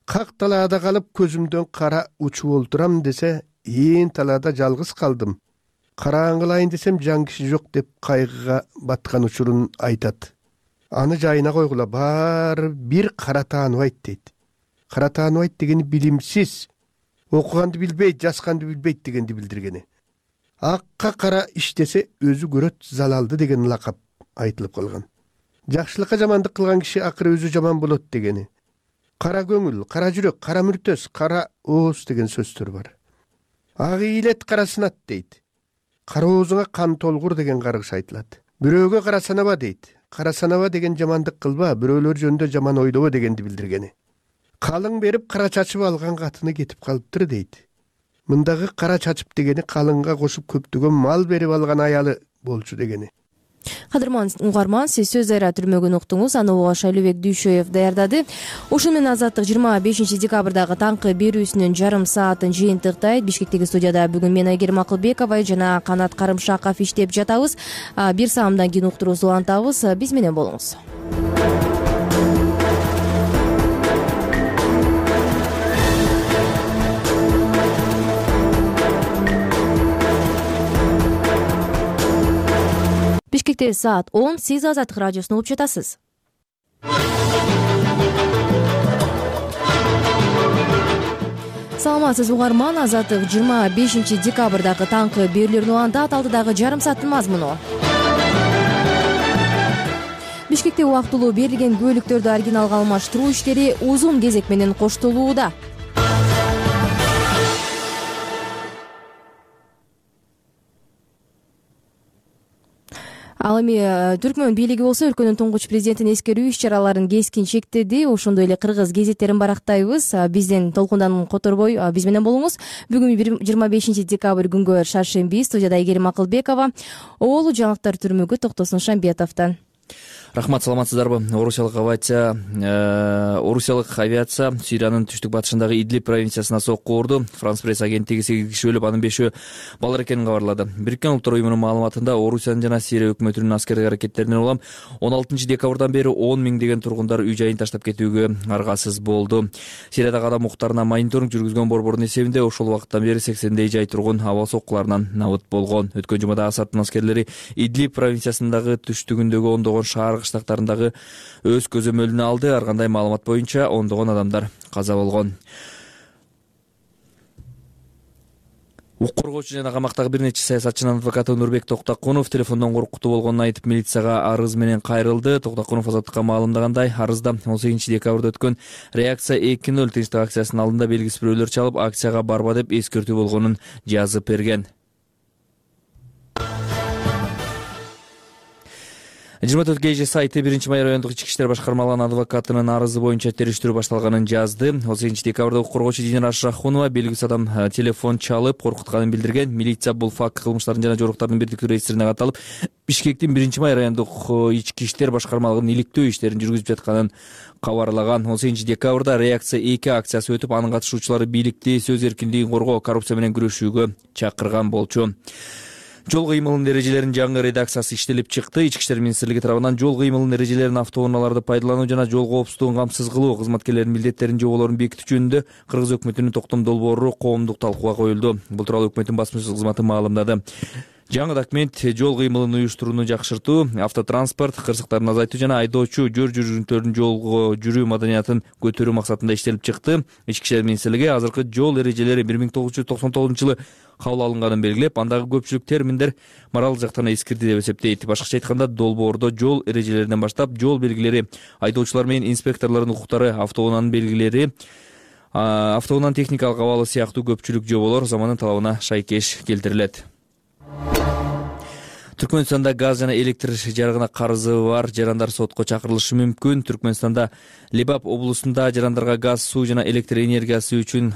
Как талаада калып көзүмдөн кара учуп олтурам десе, ээн талаада жалгыз калдым. Караан кылайын десем жан киши жок деп кайгыга баткан учурун айтат. Аны жайына койгула, баары бир кара тааныбайт дейт. Кара тааныбайт дегени билимсиз, окуганды билбейт, жазганды билбейт дегенди билдиргени. Акка кара иштесе өзү көрөт залалды деген лакап айтылып калган. Жакшылыкка жамандык кылган киши акыры өзү жаман болот дегени. Кара көңүл, кара жүрөк, кара мүртөс, кара ооз деген сөздөр бар. Ак ийилет, кара сынат дейт. Кара оозуңа кан толгур деген каргыш айтылат. Бирөөгө кара санаба дейт. Кара санаба деген жамандык кылба, бирөөлөр жөнүндө жаман ойлобо дегенди билдиргени. Калың берип кара чачып алган катыны кетип калыптыр дейт. Мындагы кара чачып дегени калыңга кошуп көптөгөн мал берип алган аялы болчу дегени. Кадырман угарман, сиз сөз айра түрмөгүн уктуңуз. Аны уга Шайлообек Дүйшөев даярдады. Ошону менен Азаттык 25 декабрдагы таңкы берүүсүнүн жарым саатын жыйынтыктайт. Бишкектеги студияда бүгүн мен Айгерим Акылбекова жана Канат Карымшаков иштеп жатабыз. Бир саамдан кийин уктуруубузду улантабыз. Биз менен болуңуз. Бишкекте саат 10. Сиз Азаттык радиосун угуп жатасыз. Саламатсыз угарман, Азаттык 25 декабрдагы таңкы берүүлөрүн улантат. Алдыдагы жарым сааттын мазмуну. Бишкекте убактылуу берилген көлүктөрдү оригиналга алмаштыруу иштери узун кезек менен коштолууда. Ал эми Түркмөн бийлиги болсо өлкөнүн туңгуч президентин эскерүү иш-чараларын кескин чектеди. Ошондой эле кыргыз гезиттерин барактайбыз. Бизден толкундан которбой биз менен болуңуз. Бүгүн 25 декабрь күнгө шаршемби. Студияда Айгерим Акылбекова. Оолу жаңылыктар түрмөгү Токтосун Шамбетовдон. Рахмат, саламатсыздарбы? Орусиялык авиация Сириянын түштүк батышындагы Идлиб провинциясына сокку урду. Франс пресс агенттиги 8 киши өлүп, анын 5-өө балдар экенин кабарлады. Бириккен Улуттар уюмунун маалыматында Орусиянын жана Сирия өкмөтүнүн аскердик аракеттеринен улам 16 декабрдан бери 10 миңдеген тургундар үй жайын таштап кетүүгө аргасыз болду. Сириядагы адам укуктарына мониторинг жүргүзгөн борбордун эсебинде ошол убакыттан бери 80дей жай тургун аба соккуларынан набыт болгон. Өткөн жумада Асаддын аскерлери Идлиб провинциясындагы түштүгүндөгү ондогон шаар кыштактарындагы өз көзөмөлүнө алды. Ар кандай маалымат боюнча ондогон адамдар каза болгон. Укук коргоочу жана камактагы бир нече саясатчынын адвокаты Нурбек Токтакунов телефондон коркутуу болгонун айтып, милицияга арыз менен кайрылды. Токтакунов Азаттыкка маалымдагандай, арызда 18 декабрда өткөн реакция 2-0 тынчтык акциясынын алдында белгисиз бирөөлөр чалып, акцияга барба деп эскертүү болгонун жазып берген. 24 КЖ сайты 1-май райондук ички иштер башкармалыгынын адвокатынын арызы боюнча териштирүү башталганын жазды. 18 декабрда укук коргоочу Динара Шахунова белгисиз адам телефон чалып коркутканын билдирген. Милиция бул факт кылмыштардын жана жоруктардын бирдиктүү реестрине каталып, Бишкектин 1-май райондук ички иштер башкармалыгынын иликтөө иштерин жүргүзүп жатканын кабарлаган. 18 декабрда реакция 2 акциясы өтүп, анын катышуучулары бийликти сөз эркиндигин коргоо, коррупция менен күрөшүүгө чакырган болчу. Жол кыймылынын эрежелеринин жаңы редакциясы иштелип чыкты. Ички иштер министрлиги тарабынан жол кыймылынын эрежелерин, автоунааларды пайдалануу жана жол коопсуздугун камсыз кылуу, кызматкерлердин милдеттерин, жоболорун бекитүү жөнүндө Кыргыз өкмөтүнүн токтом долбоору коомдук талкууга коюлду. Бул тууралуу өкмөттүн басма сөз кызматы маалымдады. Жаңы документ жол кыймылын уюштурууну жакшыртуу, автотранспорт кырсыктарын азайтуу жана айдоочу жөр жүргүнчүлөрдүн жолго жүрүү маданиятын көтөрүү максатында иштелип чыкты. Ички иштер министрлиги азыркы жол эрежелери 1999-жылы кабыл алынганын белгилеп, андагы көпчүлүк терминдер моралдык жактан эскирди деп эсептейт. Башкача айтканда, долбоордо жол эрежелеринен баштап жол белгилери, айдоочулар менен инспекторлордун укуктары, автоунаанын белгилери, автоунаанын техникалык абалы сыяктуу көпчүлүк жоболор заманын талабына шайкеш келтирилет. Түркмөнстанда газ жана электр жарыгына карызы бар жарандар сотко чакырылышы мүмкүн. Түркмөнстанда Лебап облусунда жарандарга газ, суу жана электр энергиясы үчүн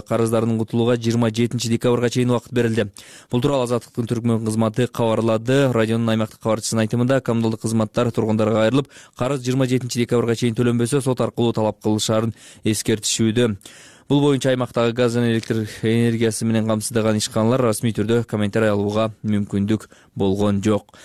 карыздарын утулууга 27 декабрга чейин убакыт берилди. Бул тууралуу Азаттыктын Түркмөн кызматы кабарлады. Радионун аймактык кабарчысынын айтымында, коммуналдык кызматтар тургундарга кайрылып, карыз 27 декабрга чейин төлөнбөсө сот аркылуу талап кылышаарын эскертишүүдө. Бул боюнча аймактагы газ жана электр энергиясы менен камсыздаган ишканалар расмий түрдө комментарий алууга мүмкүндүк болгон жок.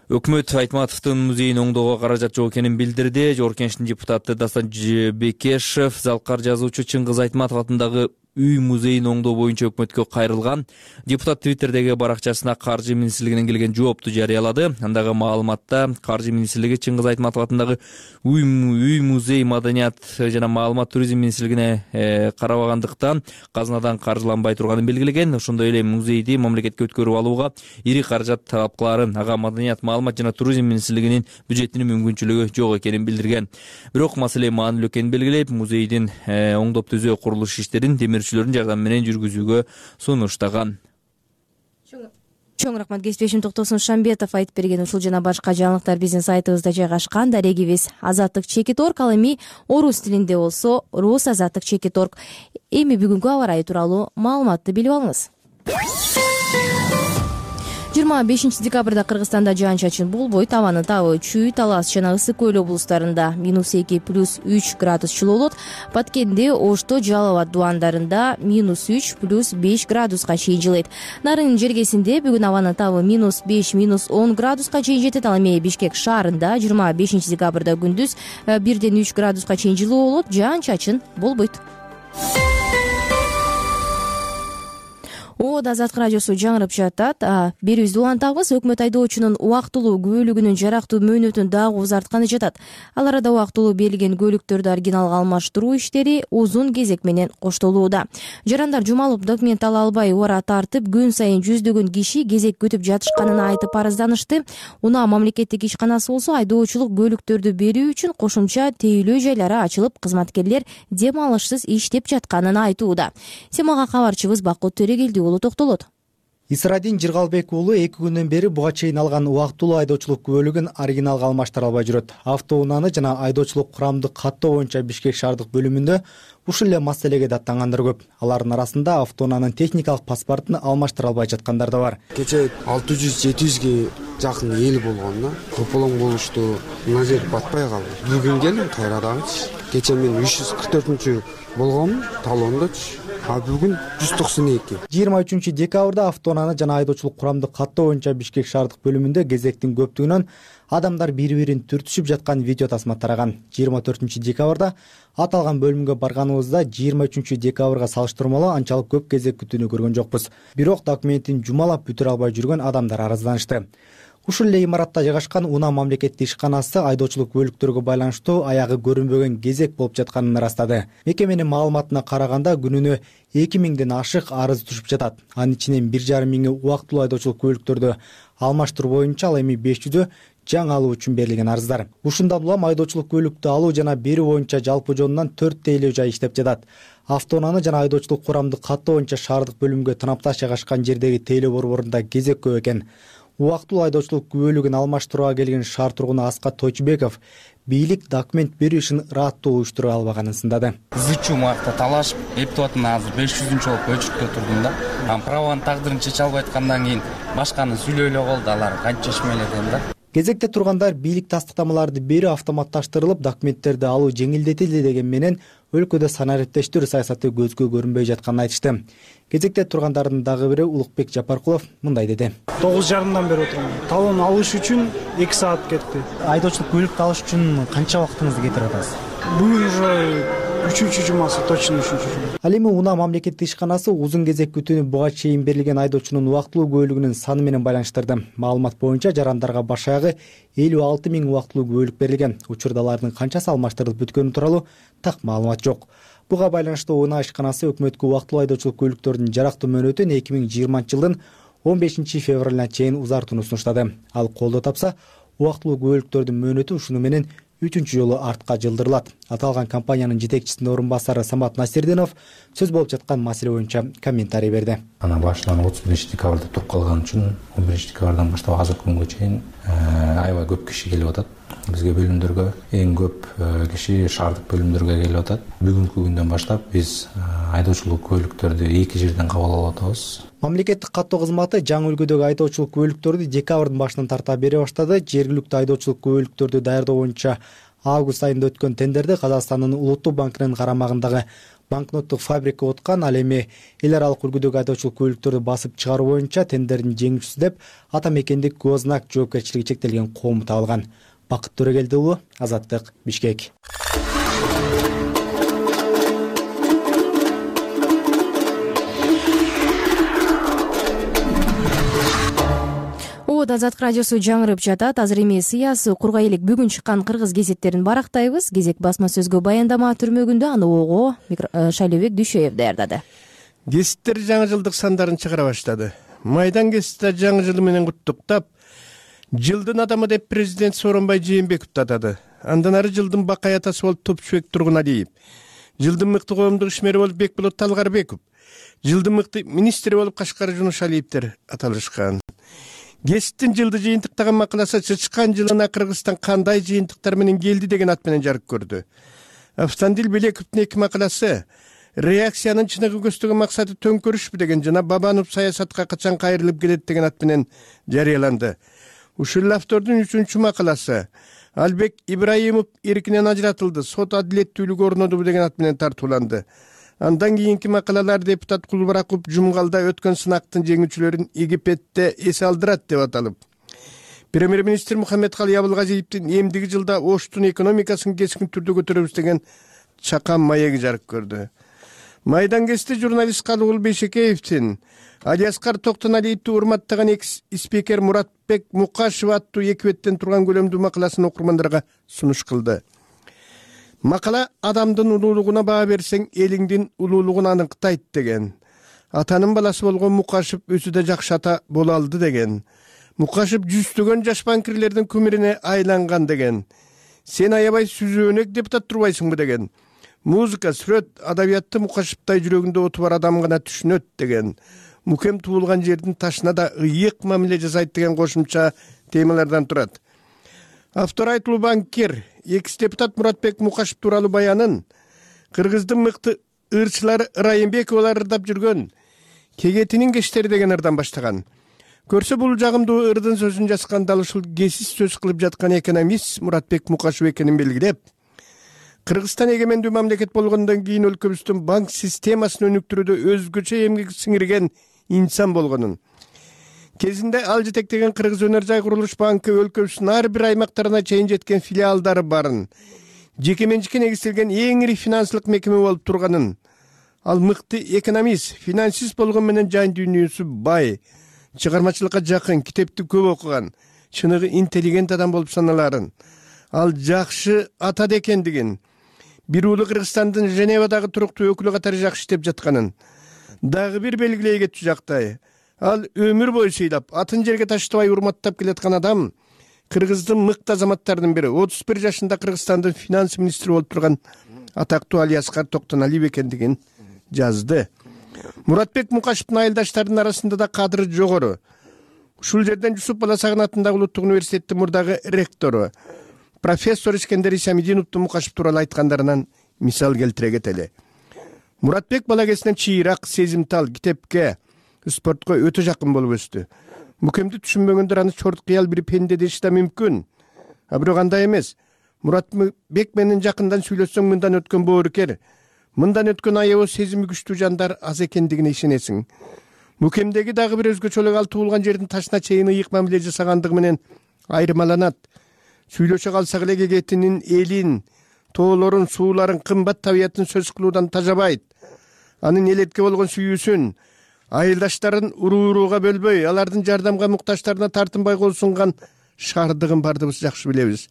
Өкмөт Айтматовдун музейин оңдоого каражат жок экенин билдирди. Жогорку Кеңештин депутаты Дастан Бекешев Залкар жазуучу Чыңгыз Айтматов атындагы үй музейин оңдоо боюнча өкмөткө кайрылган. Депутат Твиттердеги баракчасына Каржы министрлигинен келген жоопту жарыялады. Андагы маалыматта Каржы министрлиги Чыңгыз Айтматов атындагы үй музей маданият жана маалымат туризм министрлигине карабагандыктан казынадан каржыланбай турганын белгилеген. Ошондой эле музейди мамлекетке өткөрүп алууга ири каражат талап кылаарын, ага маданият, маалымат жана туризм министрлигинин бюджетинин мүмкүнчүлүгү жок экенин билдирген. Бирок маселе маанилүү экенин белгилеп, музейдин оңдоп түзөө курулуш иштерин темирчилердин жардамы менен жүргүзүүгө сунуштаган. Чоң рахмат, кесиптешим Токтосун Шамбетов айтып берген. Ушул жана башка жаңылыктар биздин сайтыбызда жайгашкан. Дарегибиз Азаттык.org, ал эми орус тилинде болсо rusazаттык.org. Эми бүгүнкү аба ырайы тууралуу маалыматты билип алыңыз. 25 декабрда Кыргызстанда жаан чачын болбойт. Абанын табы Чүй, Талас жана Ысык көл облустарында -2 +3 градус жылуу болот. Баткенде, Ошто, Жалал абад дубандарында -3 +5 градуска чейин жылыйт. Нарын жергесинде бүгүн абанын табы -5 -10 градуска чейин жетет. Ал эми Бишкек шаарында 25 декабрда күндүз 1-3 градуска чейин жылуу болот. Жаан чачын болбойт. Азаттык радиосу жаңырып жатат. Берүүбүздү улантабыз. Өкмөт айдоочунун убактылуу көлүгүнүн жарактуу мөөнөтүн дагы узартканы жатат. Ал арада убактылуу берилген көлүктөрдү оригиналга алмаштыруу иштери узун кезек менен коштолууда. Жарандар жумалып документ ала албай убара тартып, күн сайын жүздөгөн киши кезек күтүп жатышканын айтып арызданышты. Унаа мамлекеттик ишканасы болсо айдоочулук көлүктөрдү берүү үчүн кошумча тейлөө жайлары ачылып, кызматкерлер дем алышсыз иштеп жатканын айтууда. Темага кабарчыбыз Бакыт Төрегелди токтолот. Исрадин Жыргалбек уулу 2 күндөн бери буга чейин алган убактылуу айдоочулук көлүгүн оригиналга алмаштыра албай жүрөт. Автоунааны жана айдоочулук курамды каттоо боюнча Бишкек шаардык бөлүмүндө ушул эле маселеге даттангандар көп. Алардын арасында автоунаанын техникалык паспортун алмаштыра албай жаткандар да бар. Кечээ 600-700ге жакын эл болгон да. Көпөлөң болушту. Мына жер батпай калды. Бүгүн келдим кайрадагычы. Кечээ мен 344 болгонмун талондочу. А бүгүн 192. 23 декабрда автоунааны жана айдоочулук курамды каттоо боюнча Бишкек шаардык бөлүмүндө кезектин көптүгүнөн адамдар бири-бирин түртүшүп жаткан видео тасма тараган. 24 декабрда аталган бөлүмгө барганыбызда 23 декабрга салыштырмалуу анчалык көп кезек күтүүнү көргөн жокпуз. Бирок документин жумалап бүтүрө албай жүргөн адамдар арызданышты. Ушул эле имаратта жайгашкан Унаа мамлекеттик ишканасы айдоочулук көлүктөргө байланыштуу аягы көрүнбөгөн кезек болуп жатканын ырастады. Мекеменин маалыматына караганда күнүнө 2000ден ашык арыз түшүп жатат. Анын ичинен 1,5 миңи убактылуу айдоочулук көлүктөрдү алмаштыруу боюнча, ал эми 500ү жаңы алуу үчүн берилген арыздар. Ушундан улам айдоочулук көлүктү алуу жана берүү боюнча жалпы жонунан 4 тейлөө жай иштеп жатат. Автоунааны жана айдоочулук курамды каттоо боюнча шаардык бөлүмгө тынапташ жайгашкан жердеги тейлөө борборунда кезек көп экен. Убактылуу айдоочулук көлүгүн алмаштырууга келген шаар тургуну Аскат Тойчубеков бийлик документ берүү ишин ыраттуу уюштура албаганын сындады. Зычуу муакта талашып, эптеп атам, азыр 500-чү болуп өчүртө турдум да. Праванын тагдырын чече албай аткандан кийин башканы сүйлөй эле калды, алар канча чечмеледен да. Кезекте тургандар бийлик тастыктамаларды берүү автоматташтырылып, документтерди алуу жеңилдетилди деген менен өлкөдө санариптештирүү саясаты көзгө көрүнбөй жатканын айтышты. Кезекте тургандардын дагы бири Улукбек Жапаркулов мындай деди. 9:30 бери отурам. Талон алыш үчүн 2 саат кетти. Айдоочулук көлүктү алыш үчүн канча убактыңызды кетирип атасыз? Бүгүн уже 3-чү жумасы, точно 3-чү жума. Ал эми Унаа мамлекеттик ишканасы узун кезек күтүүнү буга чейин берилген айдоочунун убактылуу көлүгүнүн саны менен байланыштырды. Маалымат боюнча жарандарга баш аягы 56 миң убактылуу көлүк берилген. Учурда алардын канчасы алмаштырылып бүткөнү тууралуу так маалымат жок. Буга байланыштуу Унаа ишканасы өкмөткө убактылуу айдоочулук көлүктөрдүн жарактуу мөөнөтүн 2020 жылдын 15 февралына чейин узартууну сунуштады. Ал колдоо тапса, убактылуу көлүктөрдүн мөөнөтү ушуну менен 3-чү жолу артка жылдырылат. Аталган компаниянын жетекчисинин орун басары Самат Насирдинов сөз болуп жаткан маселе боюнча комментарий берди. Ана башынан 31 декабрда туруп калган үчүн 11 декабрдан баштап азыркы күнгө чейин аябай көп киши келип атат. Бизге бөлүмдөргө эң көп киши шаардык бөлүмдөргө келип атат. Бүгүнкү күндөн баштап биз айдоочулук көлүктөрдү 2 жерден кабыл алып атабыз. Мамлекеттик каттоо кызматы жаңы үлгүдөгү айдоочулук көлүктөрдү декабрдын башынан тарта бере баштады. Жергиликтүү айдоочулук көлүктөрдү даярдоо боюнча август айында өткөн тендерди Казакстандын Улуттук банкынын карамагындагы банкноттук фабрика уткан. Ал эми эл аралык үлгүдөгү айдоочулук көлүктөрдү басып чыгаруу боюнча тендердин жеңүүчүсү деп ата мекендик Гознак жоопкерчилиги чектелген коому табылган. Бакыт Төрегелди уулу, Азаттык, Бишкек. Азаттык радиосу жаңырып жатат. Азыр эми сыясый курга элек бүгүн чыккан кыргыз гезиттерин барактайбыз. Гезек басма сөзгө баяндама түрмөгүндө аны ого Шайлообек Дүйшөев даярдады. Гезиттер жаңы жылдык сандарын чыгара баштады. Майдан гезитте жаңы жыл менен куттуктап, жылдын адамы деп президент Сооронбай Жээнбековду атады. Андан ары жылдын бакай атасы болуп Топчубек Тургуналиев, жылдын мыкты коомдук ишмери болуп Бекболот Талгарбеков, жылдын мыкты министри болуп Кашкар Жунушалиевдер аталышкан. Гезиттин жылды жыйынтыктаган макаласы чычкан жылына Кыргызстан кандай жыйынтыктар менен келди деген ат менен жарык көрдү. Автандил Белековдун 2 макаласы реакциянын чыныгы көздөгөн максаты төңкөрүшпү деген жана Бабанов саясатка качан кайрылып келет деген ат менен жарыяланды. Ушул автордун 3-чү макаласы Албек Ибраимов эркинен ажыратылды, сот адилеттүүлүгү орноду деген ат менен тартууланды. Андан кийинки макалалар депутат Кулбараков Жумгалда өткөн сынактын жеңүүчүлөрүн Египетте эс алдырат деп аталып, премьер-министр Мухаммедкалый Абылгазиевдин эмдиги жылда Оштун экономикасын кескин түрдө көтөрөбүз деген чакан маеги жарык көрдү. Майдан кести журналист Калыгул Бейшекеевдин Алиаскар Токтоналиевди урматтаган экс-спикер Муратбек Мукашев аттуу 2 беттен турган көлөмдүү макаласын окурмандарга сунуш кылды. Макала адамдын улуулугуна баа берсең, элиңдин улуулугун аныктайт деген. Атанын баласы болгон Мукашев өзү да жакшы ата боло алды деген. Мукашев жүздөгөн жаш банкирлердин күмүрүнө айланган деген. Сен аябай сүзөөнөк депутат турбайсыңбы деген. Музыка, сүрөт, адабиятты Мукашевтай жүрөгүндө оту бар адам гана түшүнөт деген. Мукем туулган жердин ташына да ыйык мамиле жасайт деген кошумча темалардан турат. Автор айтылуу банкир, экс-депутат Муратбек Мукашев тууралуу баянын Кыргыздын мыкты ырчылары Ырайымбековалар ырдап жүргөн Кегетинин кештери деген ырдан баштаган. Көрсө бул жагымдуу ырдын сөзүн жазган дал ушул кесис сөз кылып жаткан экономист Муратбек Мукашев экенин белгилеп, Кыргызстан эгемендүү мамлекет болгондон кийин өлкөбүздүн банк системасын өнүктүрүүдө өзгөчө эмгек сиңирген инсан болгонун, кезинде ал жетектеген Кыргыз өнөр жай курулуш банкы өлкөбүздүн ар бир аймактарына чейин жеткен филиалдары барын, жеке менчикке негизделген эң ири финансылык мекеме болуп турганын, ал мыкты экономист, финансист болгон менен жан дүйнөсү бай, чыгармачылыкка жакын, китепти көп окуган, чыныгы интеллигент адам болуп саналарын, ал жакшы ата экендигин, бир уулу Кыргызстандын Женевадагы туруктуу өкүлү катары жакшы иштеп жатканын дагы бир белгилей кетчү жактай. Ал өмүр бою сыйлап, атын жерге таштабай урматтап келаткан адам, Кыргыздын мыкты азаматтарынын бири, 31 жашында Кыргызстандын финанс министри болуп турган атактуу Алиаскар Токтоналиев экендигин жазды. Муратбек Мукашевдин айылдаштарынын арасында да кадыры жогору. Ушул жерден Жусуп Баласагын атындагы улуттук университеттин мурдагы ректору профессор Искендер Исамидиновдун Мукашев тууралуу айткандарынан мисал келтире кетели. Муратбек бала кезинен чыйрак, сезимтал, китепке, спортко өтө жакын болуп өстү. Мукемди түшүнбөгөндөр аны чорт кыял бир пенде деши да мүмкүн. Бирок андай эмес. Муратбек менен жакындан сүйлөшсөң, мындан өткөн боорукер, мындан өткөн аябы сезими күчтүү жандар аз экендигине ишенесиң. Мукемдеги дагы бир өзгөчөлүк ал туулган жердин ташына чейин ыйык мамиле жасагандыгы менен айырмаланат. Сүйлөшө калсак эле Кегетинин элин, тоолорун, сууларын, кымбат табиятын сөз кылуудан тажабайт. Анын элетке болгон сүйүүсүн, айылдаштарын уруу-урууга бөлбөй, алардын жардамга муктаждарына тартынбай кол сунган шаардыгын бардыгыбыз жакшы билебиз.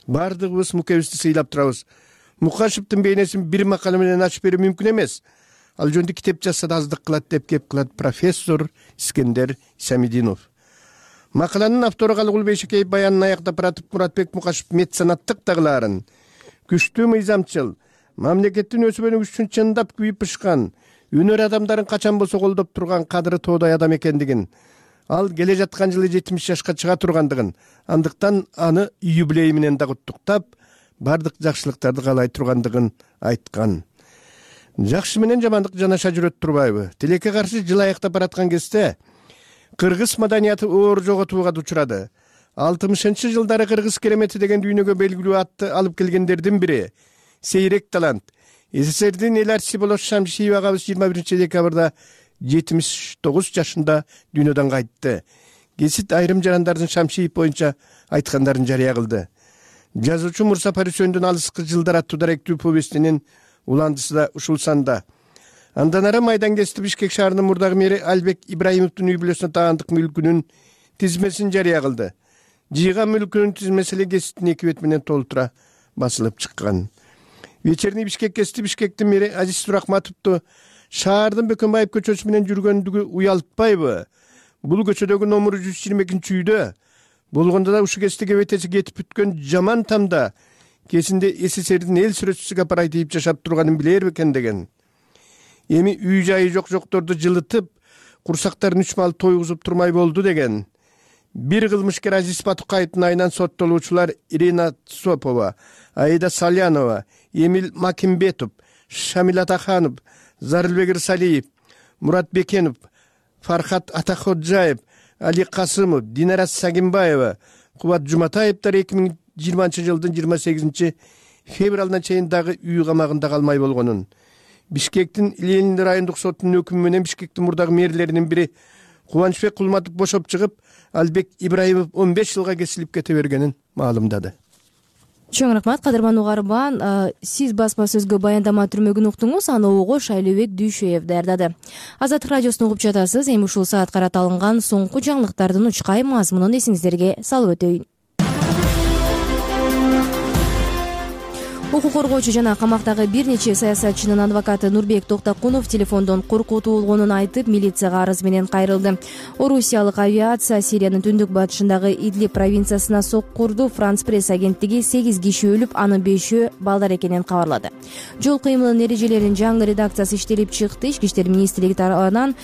Бардыгыбыз мукебизди сыйлап турабыз. Мукашевдин бейнесин бир макала менен ачып берүү мүмкүн эмес. Ал жөнүндө китеп жазса да аздык кылат деп кеп кылат профессор Искендер Исамидинов. Макаланын автору Калыгул Бейшекеев баянын аяктап баратып Муратбек Мукашев меценаттык дагыларын, күчтүү мыйзамчыл, мамлекеттин өсүп-өнүгүшү үчүн чындап күйүп бышкан, өнөр адамдарын качан болсо колдоп турган кадыры тоодай адам экендигин, ал келе жаткан жылы 70 жашка чыга тургандыгын, андыктан аны юбилей менен да куттуктап, бардык жакшылыктарды каалай тургандыгын айткан. Жакшы менен жамандык жанаша жүрөт турбайбы? Тилекке каршы жыл аяктап бараткан кезде кыргыз маданияты оор жоготууга учурады. 60-жылдары кыргыз керемети деген дүйнөгө белгилүү атты алып келгендердин бири Сейрек талант СССРдин эл артисти Болот Шамшиев агабыз 21 декабрда 79 жашында дүйнөдөн кайтты. Кесит айрым жарандардын Шамшиев боюнча айткандарын жарыя кылды. Жазуучу Мурса Парисөндүн алыскы жылдар аттуу даректүү повестинин уландысы да ушул санда. Андан ары Майдан кести Бишкек шаарынын мурдагы мэри Албек Ибраимовдун үй бүлөсүнө таандык мүлкүнүн тизмесин жарыя кылды. Жыйган мүлкүнүн тизмеси эле кесиптин 2 бет менен толтура басылып чыккан. Вечерний Бишкек кести Бишкектин мэри Азиз Сурахматовду шаардын Бөкөнбаев көчөсү менен жүргөндүгү уялтпайбы? Бул көчөдөгү номуру 122-үйдө болгондо да ушу кести кебетеси кетип бүткөн жаман тамда кесинде СССРдин эл сүрөтчүсү апарай дейип жашап турганын билер бекен деген. Эми үй жайы жок-жокторду жылытып, курсактарын 3 мал тойгузуп турмай болду деген. Бир кылмышкер Азиз Батукаевдин айынан соттолуучулар Ирина Сопова, Аида Салянова, Эмил Макимбетов Шамил Атаханов, Зарылбек Ирсалиев, Мурат Бекенов, Фархат Атаходжаев, Али Касымов, Динара Сагимбаева, Кубат Жуматаевдер 2020 жылдын 28 февралына чейин дагы үй камагында калмай болгонун, Бишкектин Ленин райондук сотунун өкүмү менен Бишкектин мурдагы мэрлеринин бири Кубанычбек Кулматов бошоп чыгып, Албек Ибраимов 15 жылга кесилип кете бергенин маалымдады. Чоң рахмат, кадырман угарман. Сиз басма сөзгө баяндама түрмөгүн уктуңуз, аны Огош Айлыбек Дүйшөев даярдады. Азаттык радиосун угуп жатасыз. Эми ушул саат карата алынган соңку жаңылыктардын учкай мазмунун эсиңиздерге салып өтөйүн. Укук коргоочу жана камактагы бир нече саясатчынын адвокаты Нурбек Токтокунов телефондон коркутуу болгонун айтып, милицияга арыз менен кайрылды. Орусиялык авиация Сириянын түндүк батышындагы Идлиб провинциясына соккурду. Франс пресс агенттиги 8 киши өлүп, анын 5-өө балдар экенин кабарлады. Жол кыймылынын эрежелеринин жаңы редакциясы иштелип чыкты. Ички иштер министрлиги тарабынан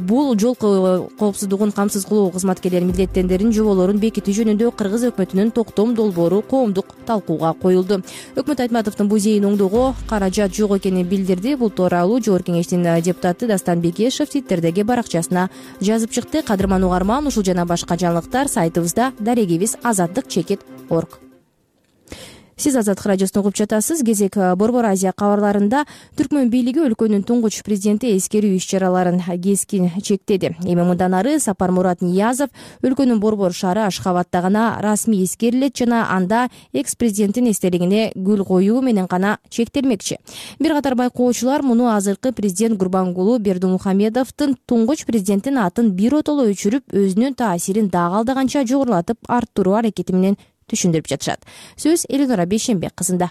бул жол коопсуздугун камсыз кылуу кызматкерлери милдеттендерин жоболорун бекитүү жөнүндө Кыргыз өкмөтүнүн токтом долбоору коомдук талкууга коюлду. Өкмөт Айтматовдун бул зейин оңдоого каражат жок экенин билдирди. Бул тууралуу Жогорку Кеңештин депутаты Дастан Бекешев Твиттердеги баракчасына жазып чыкты. Кадырман угарман, ушул жана башка жаңылыктар сайтыбызда, дарегибиз azatdык.org. Сиз Азаттык радиосун угуп жатасыз. Кезек Борбор Азия кабарларында Түркмөн бийлиги өлкөнүн туңгуч президенти эскерүү иш-чараларын кескин чектеди. Эми мындан ары Сапармурат Ниязов өлкөнүн Борбор шаары Ашхабадда гана расмий эскерилет жана анда экс-президенттин эстелигине гүл коюу менен гана чектелмекчи. Бир катар байкоочулар муну азыркы президент Гурбангулу Бердимухамедовдун туңгуч президенттин атын биротоло өчүрүп, өзүнүн таасирин дагы алдаганча жогорулатып арттыруу аракети менен түшүндүрүп жатышат. Сөз Элинора Бейшенбек кызында.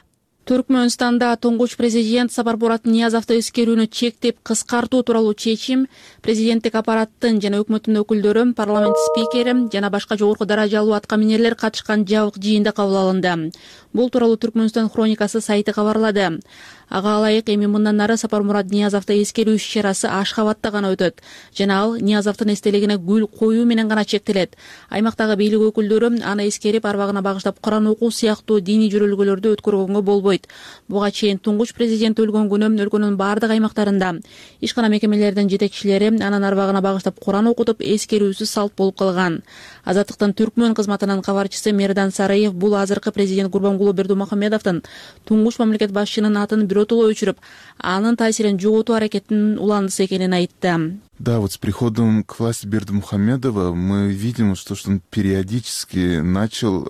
Түркмөнстанда туңгуч президент Сапармурат Ниязовду эскерүүнү чектеп кыскартуу тууралуу чечим президенттик аппараттын жана өкмөттүн өкүлдөрү, парламент спикери жана башка жогорку даражалуу аткаминерлер катышкан жабык жыйында кабыл алынды. Бул тууралуу Түркмөнстан хроникасы сайты кабарлады. Ага ылайык эми мындан ары Сапармурат Ниязовду эскерүү иш-чарасы Ашхабадда гана өтөт жана ал Ниязовдун эстелигине гүл коюу менен гана чектелет. Аймактагы бийлик өкүлдөрү аны эскерип, арбагына багыштап Куран окуу сыяктуу диний жөрөлгөлөрдү өткөргөнгө болбойт. Буга чейин туңгуч президент өлгөн күнү өлкөнүн бардык аймактарында ишкана мекемелердин жетекчилери анын арбагына багыштап Куран окутуп, эскерүүсүз салт болуп калган. Азаттыктын Түркмөн кызматынын кабарчысы Мердан Сараев бул азыркы президент Гурбангулу Бердимухамедовдун туңгуч мамлекет башчынын атын биротоло өчүрүп, анын таасирин жоготуу аракетинин уландысы экенин айтты. Да, вот с приходом к власти Бердимухамедова мы видим, что он периодически начал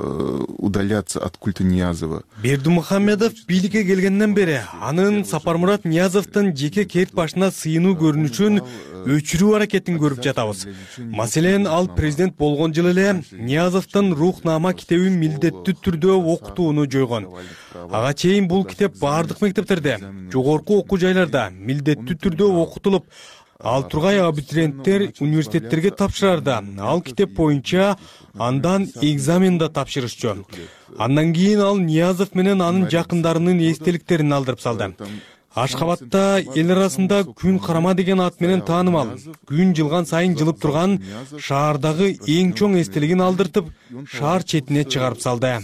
удаляться от культа Ниязова. Бердимухамедов бийликке келгенден бери анын Сапармурат Ниязовдун жеке кет башына сыйынуу көрүнүшүн өчүрүү аракетин көрүп жатабыз. Маселен, ал президент болгон жылы эле Ниязовдун Рухнама китебин милдеттүү түрдө окутууну жойгон. Ага чейин бул китеп бардык мектептерде, жогорку окуу жайларда милдеттүү түрдө окутулуп, ал тургай абитуриенттер университеттерге тапшырарда ал китеп боюнча андан экзамен да тапшырышчу. Андан кийин ал Ниязов менен анын жакындарынын эстеликтерин алдырып салды. Ашхабадда эл арасында күн карама деген ат менен таанымал, күн жылган сайын жылып турган шаардагы эң чоң эстелигин алдыртып, шаар четине чыгарып салды.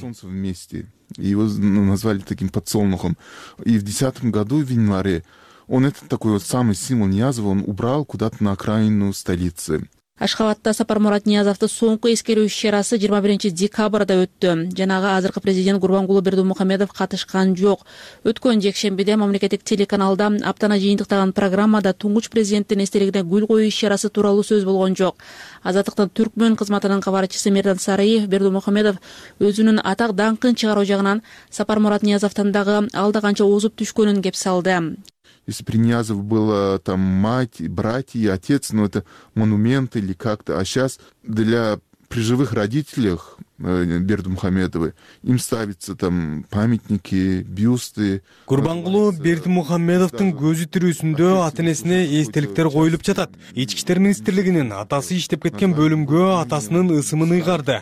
Его назвали таким подсолнухом. И в 2010 году, в январе, он этот такой вот самый символ Ниязова, он убрал куда-то на окраину столицы. Ашхабадда Сапармурат Ниязовду соңку эскерүү иш-чарасы 21 декабрда өттү. Жанагы азыркы президент Гурбангулу Бердимухамедов катышкан жок. Өткөн жекшембиде мамлекеттик телеканалда аптана жыйынтыктаган программада туңгуч президенттин эстелигине гүл коюу иш-чарасы тууралуу сөз болгон жок. Азаттыктын Түркмөн кызматынын кабарчысы Мердан Сараев Бердимухамедов өзүнүн атак даңкын чыгаруу жагынан Сапармурат Ниязовдон дагы алда канча озуп түшкөнүн кеп салды. Если при Ниязов было там мать, братья и отец, но это монумент или как-то, а сейчас для при живых родителях Бердимухамедовой им ставятся там памятники, бюсты. Гурбангулу Бердимухамедовдун көзү тирүүсүндө ата-энесине эстеликтер коюлуп жатат. Ички иштер министрлигинин атасы иштеп кеткен бөлүмгө атасынын ысымын ыйгарды.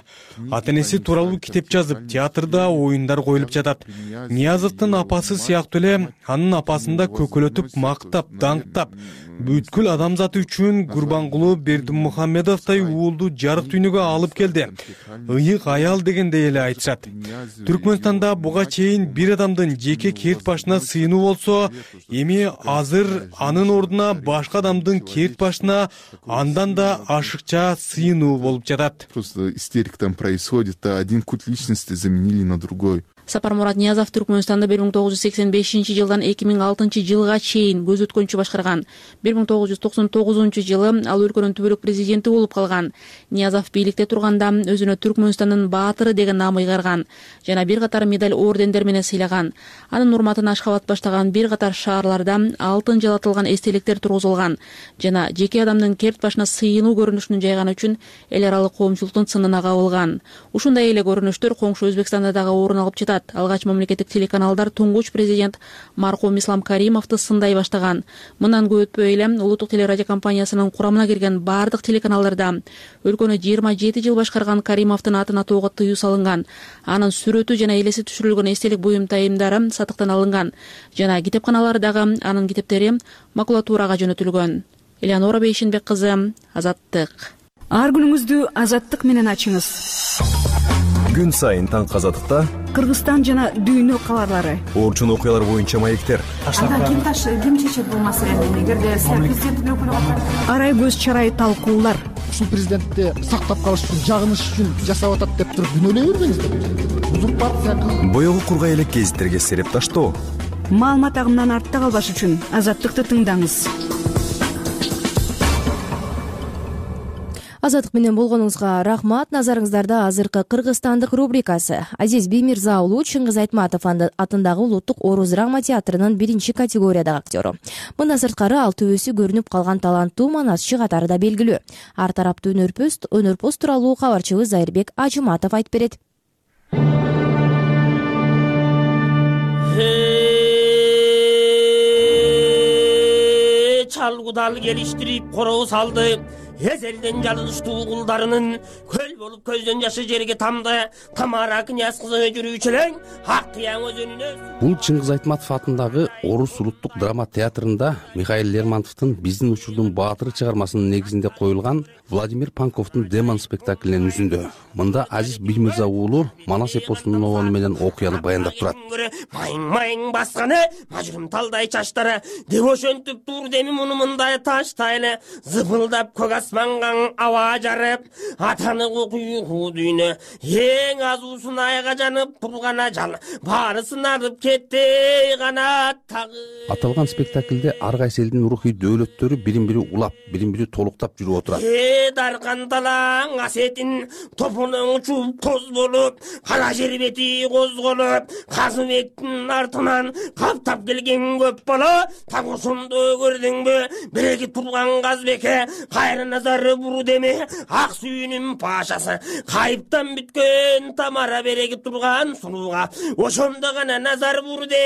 Ата-энеси тууралуу китеп жазып, театрда оюндар коюлуп жатат. Ниязовдун апасы сыяктуу эле анын апасын да көкөлөтүп, мактап, даңктап, бүткүл адамзат үчүн Курбангулы Бердимухамедовдой уулду жарык дүйнөгө алып келди. Ыйык аял дегендей эле айтышат. Түркмөнстанда буга чейин бир адамдын жеке керт башына сыйынуу болсо, эми азыр анын ордуна башка адамдын керт башына андан да ашыкча сыйынуу болуп жатат. Просто истерика там происходит, а один культ личности заменили на другой. Сапармурат Ниязов Түркмөнстанда 1985 жылдан 2006 жылга чейин көз өткөнчү башкарган. 1999 жылы ал өлкөнүн түбөлүк президенти болуп калган. Ниязов бийликте турганда өзүнө Түркмөнстандын баатыры деген наам ыйгарган жана бир катар медаль ордендер менен сыйлаган. Анын урматына Ашхабад баштаган бир катар шаарларда алтын жалатылган эстеликтер тургузулган жана жеке адамдын керт башына сыйынуу көрүнүшүн жайган үчүн эл аралык коомчулуктун сынына кабылган. Ушундай эле көрүнүштөр коңшу Өзбекстанда дагы орун алып жатат. Алгач мамлекеттик телеканалдар туңгуч президент маркум Ислам Каримовду сындай баштаган. Мындан көп өтпөй эле улуттук телерадио компаниясынын курамына кирген бардык телеканалдарда өлкөнү 27 жыл башкарган Каримовдун атын атоого тыюу салынган. Анын сүрөтү жана элеси түшүрүлгөн эстелик буюмтайымдары сатыктан алынган жана китепканалардагы анын китептери макулатурага жөнөтүлгөн. Элеонора Бейшенбек кызы, Азаттык. Ар күнүңүздү Азаттык менен ачыңыз. Күн сайын таңкы Азаттыкта Кыргызстан жана дүйнө кабарлары, орчун окуялар боюнча маектер. Ким чечет бул маселени? Эгерде президенттин өкүлү арай көз чарай талкуулар. Ушул президентти сактап калыш үчүн, жагыныш үчүн жасап атат деп туруп күнөөлөй бербеңиздер. Узурпация кылып Боёгу кургай элек гезиттерге сереп таштоо. Маалымат агымынан артта калбаш үчүн Азаттыкты тыңдаңыз. Азаттык менен болгонуңузга рахмат. Назарыңыздарда азыркы кыргызстандык рубрикасы. Азиз Биймирза уулу Чыңгыз Айтматов атындагы Улуттук Орус драма театрынын 1 категориядагы актеру. Мындан сырткары ал төбөсү көрүнүп калган таланттуу манасчы катары да белгилүү. Ар тараптуу өнөрпөз тууралуу кабарчыбыз Зайырбек Ажыматов айтып берет. Чалгудал келиштирип короо салды. Эзелден жалыныштуу кулдарынын көл болуп көздөн жашы жерге тамды. Тамара князь кызы жүрүүчүлөр ак кыяң өзөнүнө. Бул Чыңгыз Айтматов атындагы Орус улуттук драма театрында Михаил Лермонтовдун Биздин учурдун баатыры чыгармасынын негизинде коюлган Владимир Панковдун Демон спектаклинин үзүндө. Мында Азиз Биймирза уулу манас эпосунун обону менен окуяны баяндап турат. Майың басканы мажрым талдай чачтары деп ошентип тур деми муну мындай таштайлы зыпылдап көк асманга аба жарып атаны куюу дүйнө эң азуусун айга жанып тургана жал баарысын арып кетти канат тагы. Аталган спектаклде ар кайсы элдин рухий дөөлөттөрү бирин-бири улап, бирин-бири толуктап жүрүп отурат. Даркан талаң асетин топунун учуп тоз болуп, кара жер бети козголуп, Казыбектин артынан каптап келген көп бала, так ошондо көрдүңбү, биреги турган Казбекке кайра назары буру деме, ак сүйүнүн пашасы, кайыптан бүткөн Тамара биреги турган сунууга, ошондо гана назар буру де.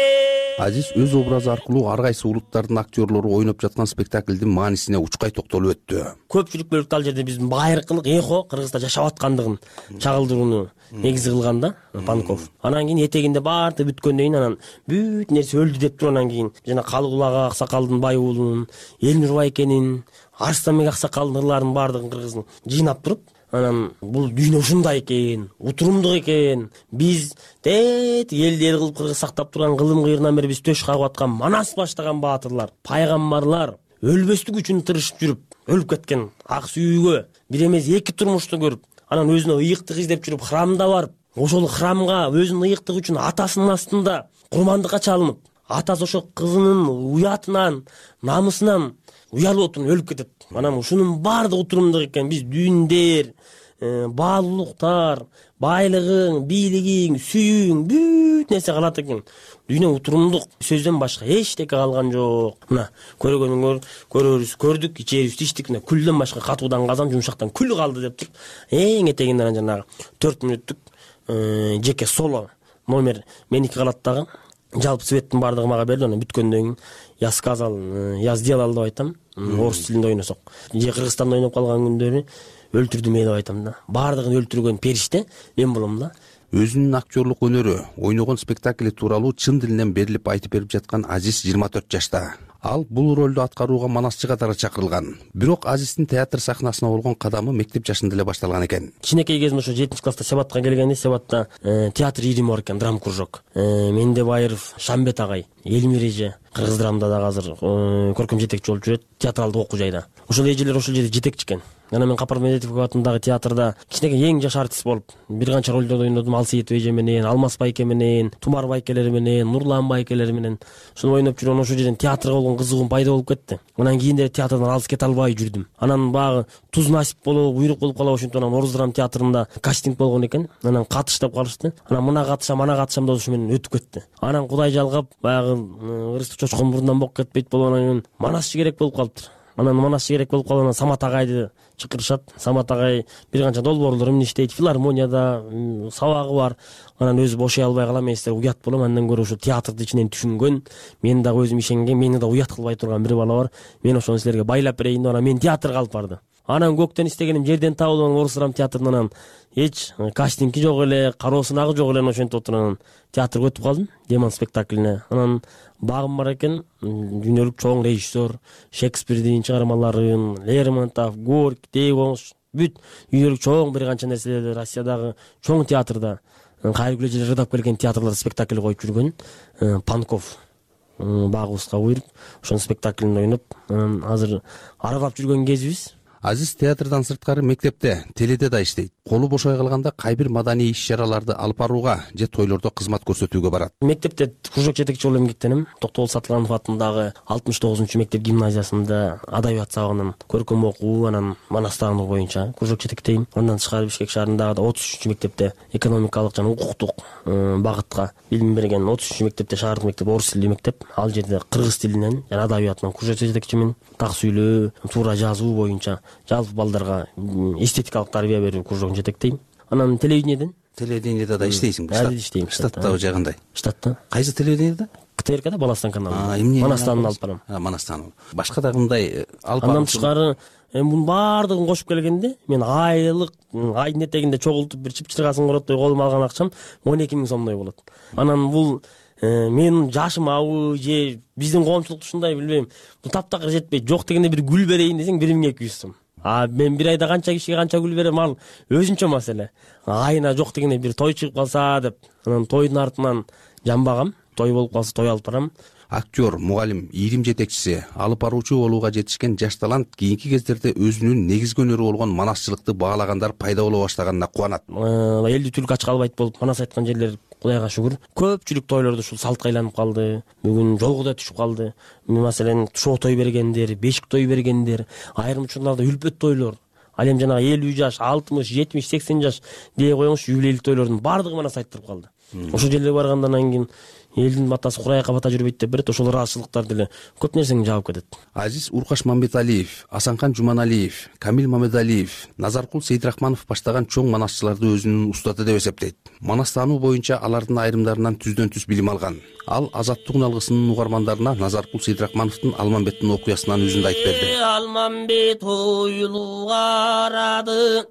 Азиз өз образы аркылуу ар кайсы улуттардын актерлору ойноп жаткан спектаклдин маанисине учкай токтолуп өттү. Көпчүлүк бөлүктө ал жерде биздин байыркылык эхо Кыргызда жашап аткандыгын чагылдырууну негиз кылган да Панков. Анан кийин этегинде баарды бүткөндөн кийин анан бүт нерсе өлдү деп тургандан кийин жана Калыгулак Аксакалдын бай уулунун, Элнур Байкенин, Арстанбек Аксакалдын ырларын баардыгын кыргыздын жыйнап туруп, анан бул дүйнө ушундай экен, утурумдук экен. Биз элди эл кылып кыргыз сактап турган кылым кыйрынан бери биз төш кагып аткан манас баштаган баатырлар, пайгамбарлар өлбөстүк үчүн тырышып жүрүп, өлүп кеткен ак сүйүүгө бир эмес эки турмушту көрүп, анан өзүнө ыйыктык издеп жүрүп храмда барып, ошол храмга өзүнүн ыйыктыгы үчүн атасынын астында курмандыкка чалынып, атасы ошол кызынын уятынан, намысынан уялып отуруп өлүп кетет. Анан ушунун баардыгы турумдук экен. Биз дүйндөр, баалуулуктар, байлыгың, бийлигиң, сүйүүң бүт нерсе калат экен. Дүйнө утурумдук, сөздөн башка эчтеке калган жок. Мына көргөнүңөр, көрөрүбүз, көрдүк, ичерибиз, ичтик, мына күлдөн башка катуудан казан, жумшактан күл калды деп туруп, эң этегинде жанагы 4 мүнөттүк жеке соло номер меники калат дагы. Жалпы светтин баардыгы мага берди, анан бүткөндөн кийин я сказал, я сделал деп айтам. Орус тилинде ойносок. Же Кыргызстанда ойноп калган күндөрү өлтүрдүм деп айтам да. Баардыгын өлтүргөн периште мен болом да. Өзүнүн актерлук өнөрү, ойногон спектакли тууралуу чын дилинен берилип айтып берип жаткан Азиз 24 жашта. Ал бул ролду аткарууга манасчы катары чакырылган. Бирок Азиздин театр сахнасына болгон кадамы мектеп жашында эле башталган экен. Кичинекей кезимде ошо 7-класста Себатка келгенде, Себатта театр ирими бар экен, драм кружок. Мендебаев Шамбет агай, Элмир эже кыргыз драмда дагы азыр көркөм жетекчи болуп жүрөт, театралдык окуу жайда. Ошол эжелер ошол жерде жетекчи экен. Анан мен Капар Медетов атындагы театрда кичинекей эң жаш артист болуп бир канча ролдорду ойнодум. Алсейитов эже менен, Алмаз байке менен, Тумар байкелери менен, Нурлан байкелери менен ошону ойноп жүргөн ошол жерден театрга болгон кызыгуум пайда болуп кетти. Анан кийин деле театрдан алыс кете албай жүрдүм. Анан багы туз насип болобу, буйрук болуп калабы, ошентип анан Орус драм театрында кастинг болгон экен. Анан катыш деп калышты. Анан мына катышам, ана катышам деп ошо менен өтүп кетти. Анан Кудай жалгап баягы ырысты чочкон мурундан болуп кетпейт болуп анан манасчы керек болуп калыптыр. Анан манасчы керек болуп калган Самат агайды чакырышат. Самат агай бир канча долбоорлор эмне иштейт, филармонияда сабагы бар. Анан өзү бошой албай калам, мен силерге уят болом. Андан көрө ошо театрды ичинен түшүнгөн, мен дагы өзүм ишенген, мени да уят кылбай турган бир бала бар. Мен ошону силерге байлап берейин деп анан мен театрга алып барды. Анан көктөн истегеним жерден табылып, Орус драм театрынан эч кастинги жок эле, кароосунагы жок эле, ошентип отуруп театрга өтүп калдым, Демон спектаклине. Анан багым бар экен, дүйнөлүк чоң режиссер, Шекспирдин чыгармаларын, Лермонтов, Горький, Дейгош, бүт дүйнөлүк чоң бир канча нерселерди Россиядагы чоң театрда, кайрылгыл эжелер ырдап келген театрларда спектакль коюп жүргөн Панков багыбызга буйруп, ошонун спектаклин ойноп, азыр аралап жүргөн кезибиз. Азиз театрдан сырткары мектепте, теледе да иштейт. Колу бошой калганда кай бир маданий иш-чараларды алып барууга же тойлордо кызмат көрсөтүүгө барат. Мектепте кружок жетекчи болуп эмгектенем. Токтогул Сатылганов атындагы 69 мектеп гимназиясында адабият сабагынын көркөм окуу, анан манастандыгы боюнча кружок жетектейм. Андан тышкары Бишкек шаарындагы 33 мектепте экономикалык жана укуктук багытка билим берген 33 мектепте шаардык мектеп орус тилдүү мектеп. Ал жерде кыргыз тилинен жана адабиятынан кружок жетекчимин. Так сүйлөө, туура жазуу боюнча жалпы балдарга эстетикалык тарбия берүү кружогун жетектейм. Анан телевидениеде да иштейсиң. Азыр иштейм. Штаттагы жагындай. Штатта. Кайсы телевидениеде? КТРКда Баластан каналы. Манастан алып барам. Манастан. Башка да кандай алып андан тышкары мунун баардыгын кошуп келгенде мен айлык айдын этегинде чогултуп бир чыпчыргасын короттой колума алган акчам 12 000 сомдой болот. Анан бул менин жашым абы же биздин коомчулукта ушундай билбейм, бул таптакыр жетпейт. Жок дегенде бир гүл берейин десең 1200 сом. Мен бир айда канча кишиге канча гүл берем, ал өзүнчө маселе. Айына жок дегенде бир той чыгып калса деп, анан тойдун артынан жамбагам, той болуп калса той алып барам. Актер, мугалим, ирим жетекчиси, алып баруучу болууга жетишкен жаш талант кийинки кездерде өзүнүн негизги өнөрү болгон манасчылыкты баалагандар пайда боло баштаганына кубанат. Элди түлк ачка албайт болуп манас айткан жерлер Кудайга шүгүр. Көпчүлүк тойлордо ушул салтка айланып калды. Бүгүн жолго да түшүп калды. Маселен, шоо той бергендер, бешик той бергендер, айрым учурларда үлпөт тойлор. Ал эми жанагы 50 жаш, 60, 70, 80 жаш дей коюңуз, юбилейлик тойлордун баардыгы манас айттырып калды. Ошол жерлерге баргандан кийин элдин батасы курайакка бата жүрбөйт деп берет, ошол ыраазычылыктар деле көп нерсени жаап кетет. Азиз Уркаш Мамбеталиев, Асанкан Жуманалиев, Камил Мамедалиев, Назаркул Сейдрахманов баштаган чоң манасчыларды өзүнүн устаты деп эсептейт. Манастануу боюнча алардын айрымдарынан түздөн түз билим алган. Ал Азаттык алгысынын угармандарына Назаркул Сейдрахмановдун Алмамбеттин окуясынан үзүндү айтып берди. Алмамбет ойлуу карады,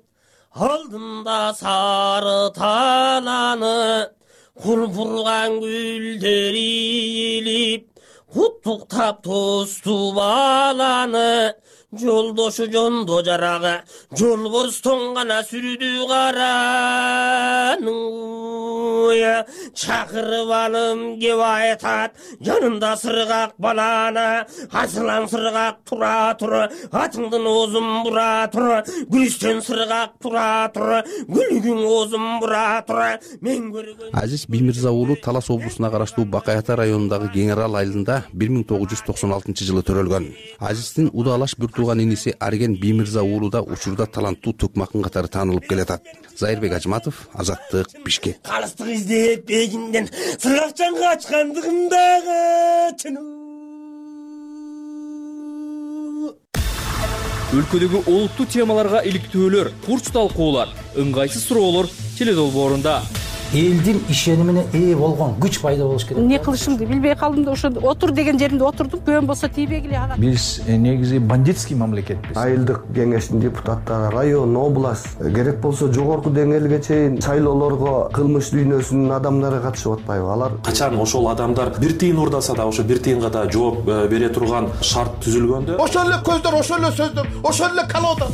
алдында сары таланы, курпурган гүлдөр ийилип, куттуктап тосту баланы, жолдошу жондо жарага, жолборстон гана сүрдү караны. Чакырып алым кеп айтат, жанында сыргак баланы, асылан сыргак тура тур, атыңдын оозун бура тур, гүлүстөн сыргак тура тур, гүлүгүң оозун бура тур. Мен көргөн Азиз Биймирза уулу Талас облусуна караштуу Бакай-Ата районундагы Кеңарал айылында 1996 жылы төрөлгөн. Азиздин удалаш бир тууган иниси Арген Биймирза уулу да учурда таланттуу төкмакын катары таанылып келатат. Зайырбек Ажматов, Азаттык, Бишкек. Калыстык издеп бегинден сыргакчан качкандыгымдагы чынуу. Өлкөдөгү олуттуу темаларга иликтөөлөр, курч талкуулар, ыңгайсыз суроолор теледолбоорунда. элдин ишенимине ээ болгон күч пайда болуш керек. Эмне кылышымды билбей калдым да ошо отур деген жеримде отурдум. Көөм болсо тийбегиле ага. Биз негизи бандитский мамлекетпиз. Айылдык кеңештин депутаттары, район, область, керек болсо жогорку деңгээлге чейин шайлоолорго кылмыш дүйнөсүнүн адамдары катышып атпайбы? Алар качан ошол адамдар бир тыйын урдаса да ошо бир тыйынга да жооп бере турган шарт түзүлгөндө ошол эле көздөр, ошол эле сөздөр, ошол эле колода.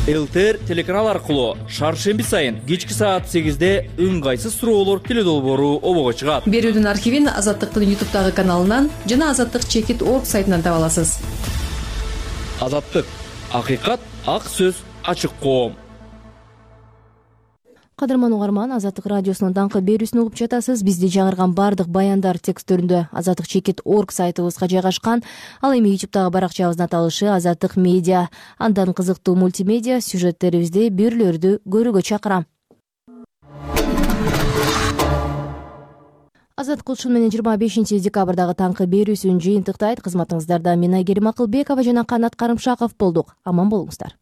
ЛТР телеканал аркылуу шаршемби сайын кечки саат 8-де ыңгайсыз суроолор теле долбоору обого чыгат. Берүүдүн архивин Азаттыктын YouTube'дагы каналынан жана azаттык-org сайтынан таба аласыз. Азаттык, акыйкат, ак сөз, ачык коом. Кадырман угарман, Азаттык радиосунун даңкы берүүсүн угуп жатасыз. Бизди жаңырган бардык баяндар тексттеринде azаттык-org сайтыбызга жайгашкан. Ал эми YouTube'дагы баракчабыздын аталышы Азаттык медиа. Андан кызыктуу мультимедиа сюжеттерибизди берүүлөрдү көрүүгө чакырам. Азаттык ушун менен 25-декабрдагы таңкы берүүсүн жыйынтыктайт. Кызматыңыздарда мен Айгерим Акылбекова жана Канат Карымшаков болдук. Аман болуңуздар.